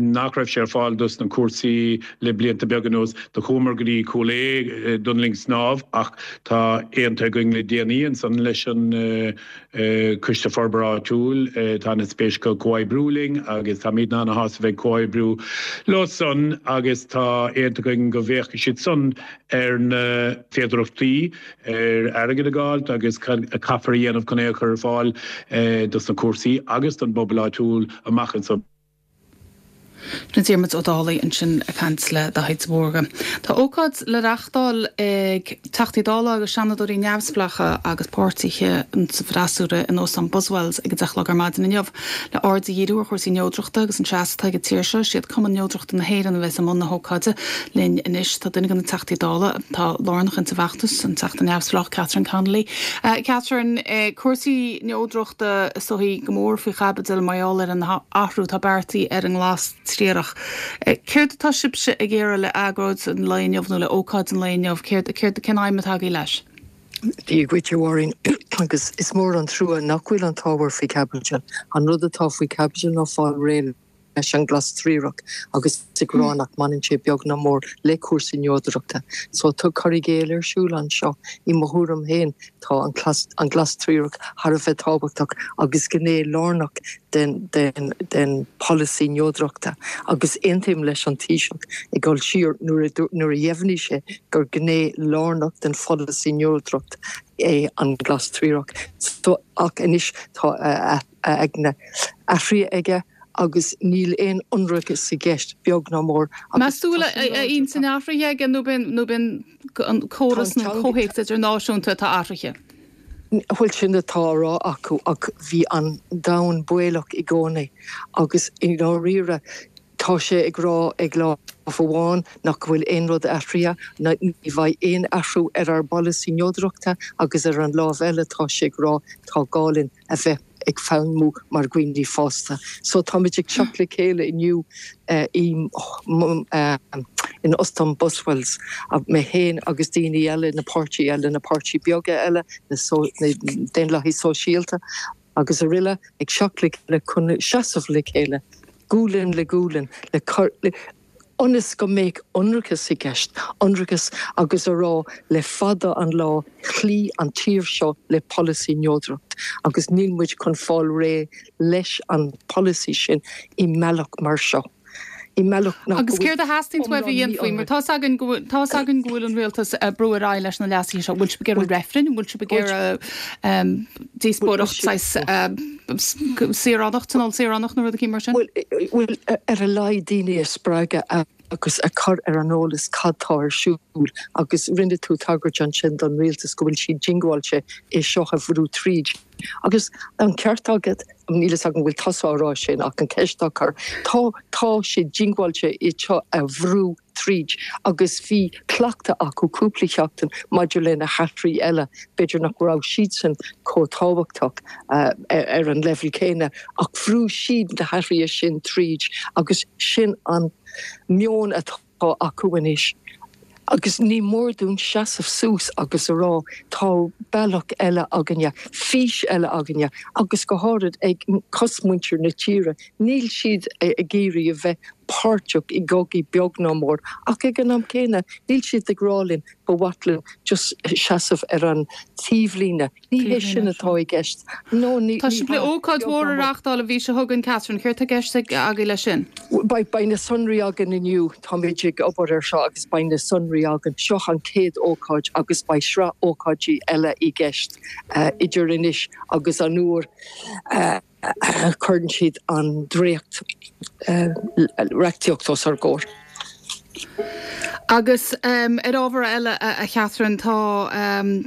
nach raibh sé ar fáil dos na cúrsaí le blianta beaga anuas. Do chuamar go dtí Cúil Aodha don linn snámha ach tá aontaithe againn le déanaí ansan leis an Coiste Forbartha Áitiúil, tá ana-spéis acu comhoibriú linn agus táimidne ana-shásta bheith ag comhoibriú leo san agus tá aontaithe againn go bhféachfaidh siad san ar na féidearthachtaí ar airgead a dh'fháilt agus cad a caithfear a dhéanamh chun é a chur ar fáil dos na cúrsaí agus don bpobal áitiúil amach anso. Sin Diarmuid Ó Dálaigh ansin ag caint le Daithí de Mórdha. Tá ócáid le reachtáil ag Teachtaí Dála agus Seanadóirí neamhspleácha agus páirtithe sa bhfreasúra in Óstán Buswells ag a 10 a chlog ar maidin inniu le aird a dhíriú ar chúrsaí neodrachta agus an seasamh atá ag an tír seo. Is iad Cumann Neodrachta na hÉireann a bheas i mbun na hócáide. Linn anois tá duine de na Teachtaí Dála atá lárnach insa bhfeachtas, an Teachta neamhspleách Catherine Connolly. Catherine, cúrsaí neodrachta. Is dóichí go mór faoi chaibidil mar gheall ar an athrú atá beartaithe ar an nglas triarach. Céard atá sibhse ag iarraidh le agóid an lae inniu nó le ócáid an lae inniu? Céard, céard, cén aidhm atá agaibh leis? Dia dhuit, a Mháirín, agus is mór an trua nach bhfuil an t-ábhar faoi chaibidil. An rud atá faoi chaibidil ná fáil réidh leis an glas triarach agus ag rá nach mbaineann sé beag ná mór le cúrsaí neodrachta. So tá cur i gcéill ar siúl anseo. I mo thuairim féin tá an an glas triarach thar a bheith tábhachtach agus gné lárnach den den den pholasaí neodrachta agus aontaím leis an Taoiseach ag dul siar nuair a nuair a dheimhnigh sé gur gné lárnach den pholasaí neodracht é an glas triarach. So ach anois tá a a aigne athraithe aige agus níl aon ionracas i gceist, beag ná mór, agus Meas tú tá bhfuil sin a láidir. intinn athraithe aige nó b'in nó b'in an córas nó an comhthéacs idirnáisiúnta atá athraithe? Bhuel sin atá á rá acu ach bhí an domhan baolach i gcónaí agus i ndáiríre tá sé ag rá ag lámh amháin nach bhfuil aon rud athraithe, ní bheidh aon athrú ar ár bpolasaí neodrachta agus ar an lámh eile tá sé ag rá tá gá linn a bheith ag feidhmiú mar dhaoine fásta. So táimid ag teacht le chéile inniu in Ostán Buswells, mé féin agus daoine eile, na páirtí eile, na páirtí beaga eile, na Daonlathaigh Sóisialta agus araile, ag teacht le chéile chun seasamh le chéile, gualainn le gualainn, le cur le. ionas go mbeadh ionracas i gceist, ionracas agus a rá le fada an lá chloígh an tír seo le polasaí neodracht agus níl muid chun fáil réidh leis an polasaí sin i mbealach mar seo. I mbealach nach Agus céard a theastaíonns uaibh a dhéanfaí? Mar tá's againn go bhfuil, tá's againn go bhfuil an rialtas ag brú ar aghaidh leis na leasuithe seo. Bhfuil sibh ag iarraidh reifrinn? Bhfuil sibh ag iarraidh díospóireacht saghas saoránach, tionól saoránach nó rud eicínt mar sin? Bhuel, ar a laghad daoine a spreagadh agus a chur ar an eolas cad tá ar siúl agus rinne tú tagairt ansin don rialtas go bhfuil siad diongbháilte é seo a bhrú tríd. Agus an ceart agat, níl fhios agam an bhfuil tusa á rá sin ach an ceist á cur, tá, tá siad diongbháilte é seo a bhrú tríd agus bhí cleachtadh acu cúpla seachtain maidir le na hathruithe eile, b'fhéidir nach raibh siadsan chomh tábhachtach ar an leibhéal céanna ach bhrú siad na hathruithe sin tríd agus sin an meon atá atá acu anois agus ní mór dúinn seasamh suas agus a rá tá bealach eile againne, fís eile againne agus go háirid ag cosmuintir na tíre, níl siad ag iarraidh a bheith páirteach i gcogaí beag ná mór ach ag an am céanna níl siad ag rá linn ba mhaith linn just seasamh ar an taobhlíne. Ní hé sin atá i gceist. No, ní Tá sibh le ócáid mhór a reáchtáil an mhí seo chugainn, Catherine. Céard tá i gceist agaibh leis sin? Beidh, beidh na sonraí againn inniu. Táimid ag obair ar seo agus beidh na sonraí againn. Seo an chéad ócáid agus beidh sraith ócáidí eile i gceist idir anois agus an uair a chuireann siad an dréacht reachtaíocht os ár gcomhair. Agus ar ábhar eile, a Chatherine, tá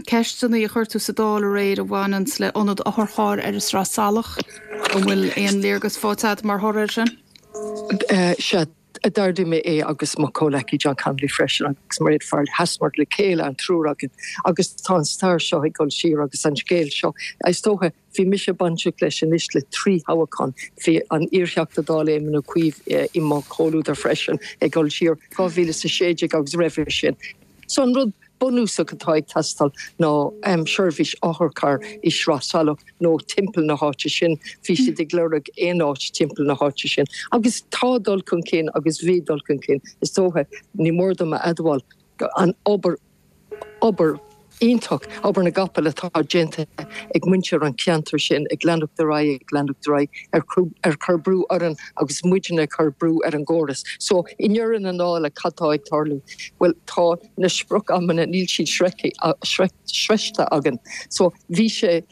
ceisteanna a chuir tú sa Dáil aréir a bhaineanns le ionad otharchairr ar an Sraith Salach. An bhfuil aon léargas faighte agat mar thoradh air sin? Sea, d'ardaigh mé é agus mo chomhleacaí John Connolly freisin agus Mairéad Farrelly. Sheasamar le chéile, an triúr againn, agus tá an stair seo ag dul siar agus an scéal seo, is dócha, Bhí mise bainteach leis anois le 3 thoghachán. Bhí an iar-Theachta Dála Éamon Ó Cuív i mo chomhluadar freisin ag dul siar 2016 agus roimhe sin. So an rud bunúsach atá ag teastáil ná seirbhís otharchairr i Sraith Salach nó timpeall na háite sin. Bhí siad ag lorg aon áit timpeall na háite sin. Agus tá dul chun cinn agus bhí dul chun cinn. Is dócha, ní mór dom a admháil, an obair Obair iontach, obair na gcapall atá déanta ag muintir an cheantair sin, ag leanacht ar aghaidh, ag leanacht ar aghaidh, ag cur brú orainn agus muidne ag cur brú ar an gcóras. So, i ndeireadh na dála, cad tá ag tarlú? Bhuel, tá na sprioc-amanna, níl siad sroichte againn. So, bhí sé,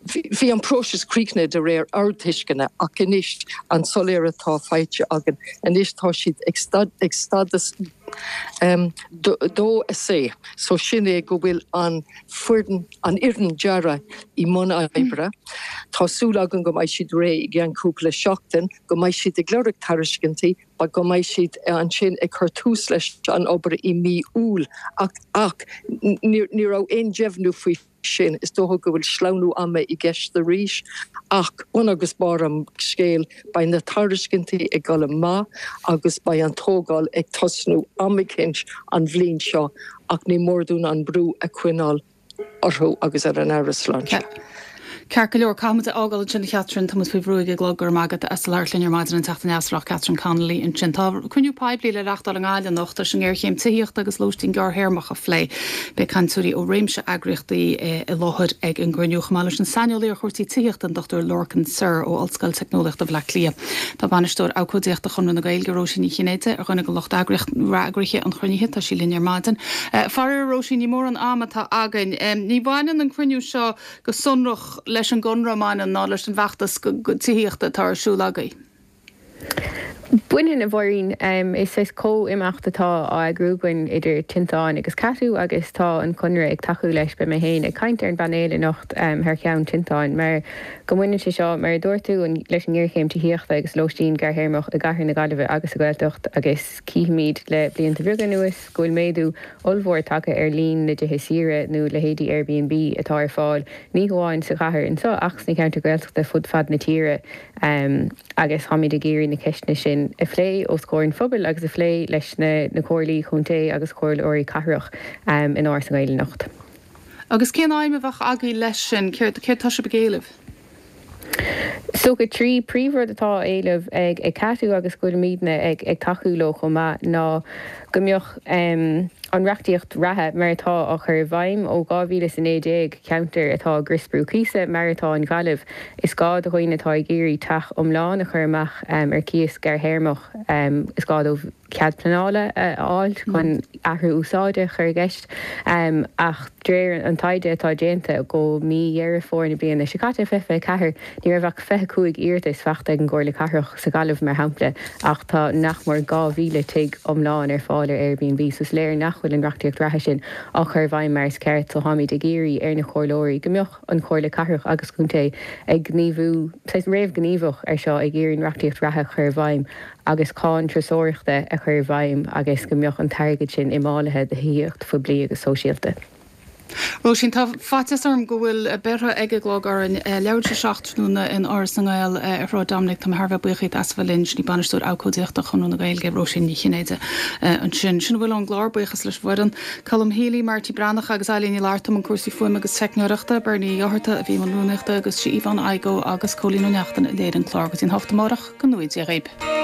Bhí an próiseas críochnaithe de réir ár dtuisceana ach anois an soiléire atá faighte againn anois tá siad ag stádas 2 C so sin é go bhfuil an foireann an fhoireann dearaidh i mbun oibre. Tá súil againn go mbeidh siad réidh i gceann cúpla seachtain, go mbeidh siad ag lorg tairiscintí, go mbeidh siad ansin ag cur tús leis an obair i mí Iúil ach ach ní raibh aon deimhniú faoi sin. Is dócha go bhfuil sleamhnú ama i gceist arís ach bun agus barr an scéil, beidh na tairiscintí ag dul amach agus beidh an tógáil ag tosnú am eicínt an bhliain seo ach ní mór dúinn an brú a choinneáil orthu agus ar an Aire Sláinte. Ceart go leor, caithfimid é a fhágáil ansin a Chatherine, tá muid faoi bhrú ag an gclog, go raibh maith agat as labhairt linn ar maidin an Teachta Neamhspleách Catherine Connolly ansin. Tá cruinniú poiblí le reachtáil i nGaillimh anocht leis an ngéarchéim tithíochta agus lóistín gearrthéarmach a phlé. Beidh cainteoirí ó réimse eagraíochtaí i láthair ag an gcruinniú, chomh maith leis an saineolaí ar chúrsaí tithíochta, an Dr Lorcan Sirr ó Ollscoil Teicneolaíochta Bhaile Átha Cliath. Tá Bainisteoir Abhcóideachta Chonradh na Gaeilge, Róisín Ní Chinnéide, ar dhuine de lucht eagraithe an chruinnithe. Tá sí linn ar maidin. Faraor, a Róisín, ní mórán ama atá againn. Ní bhaineann an cruinniú seo go sonrach leis an gConradh, an mbaineann, ná leis an bhfeachtas tithíochta atá ar siúl agaibh. Baineann, a Mháirín. Is saghas comh-imeacht atá á eagrú againn idir Tinteán agus Catú agus tá an Conradh ag tacú leis. Beidh mé féin ag caint ar an bpainéal anocht thar cheann Tinteáin mar go mbaineann sé seo, mar a dúirt tú, leis an ngéarchéim tithíochta agus lóistín gearrthéarmach i gcathair na Gaillimhe agus sa Ghaeltacht agus cífimid le blianta beaga anuas go bhfuil méadú ollmhór tagtha ar líon na dtithe saoire nó leithéidí Airbnb atá ar fáil ní hamháin sa chathair anseo ach sna ceantair Ghaeltachta fud fad na tíre agus táimid ag iarraidh na ceisteanna sin a phlé os comhair an phobail agus a phlé leis na comhairlí contae agus comhairleoirí cathrach in Áras na nGael anocht. Agus cén aidhm a bheadh agaibh leis sin? Céard tá sibh ag éileamh? Is dócha 3 príomhrud atá á éileamh ag Catú agus go bhfuilimidne ag tacú leo chomh maith ná. Go mbeadh an reachtaíocht reatha mar atá á chur i bhfeidhm ó 2019, ceantair atá i gcriosbrú cíosa mar atá an Ghaillimh, is gá do dhaoine atá ag iarraidh teach iomlán a chur amach ar cíos gearrthéarmach, is gá dóibh cead pleanála a fháil chun athrú úsáide a chur i gceist. Ach de réir an taighde atá déanta go mí Dheireadh Fómhair na bliana seo caite, 2024, ní raibh ach 25 iarratas faighte ag an gComhairle Cathrach sa Ghaillimh, mar shampla, ach tá nach mór 2,000 tigh iomlán ar fáil ar Airbnb, so is léir nach bhfuil an reachtaíocht reatha sin á chur i bhfeidhm mar is ceart. So táimid ag iarraidh ar na comhairleoirí go mbeadh an Chomhairle Cathrach agus Contae ag gníomhú, saghas réamhghníomhach ar seo, ag iarraidh an reachtaíocht reatha a chur i bhfeidhm agus cáin turasóireachta a chur i bhfeidhm agus go mbeadh an t-airgead sin imfhálaithe do thithíocht phoiblí agus sóisialta. Róisín, Tá faitíos orm go bhfuil beirthe ag an gclog orainn. Leathuair tar éis a 7 tráthnóna in Áras na nGael ar Shráid Dominic. Tá mé thar a bheith buíoch díot as a bheith linn. Sin í Bainisteoir Abhcóideachta Chonradh na Gaeilge, Róisín Ní Chinnéide ansin. Sin a bhfuil ón gclár. Buíochas leis an bhfoireann, Colm Healy, Marty Breathnach agus Eilín Ní Fhlatharta i mbun cúrsaí fuaime agus teicneoireachta, Bernie Ó Dochartaigh a bhí i mbun rúnaíochta agus sí Yvonne Igoe agus Cóilín Ó Neachtain a léirigh an clár. Go dtí an 8 amárach, go ngnóthaí Dia dhaoib.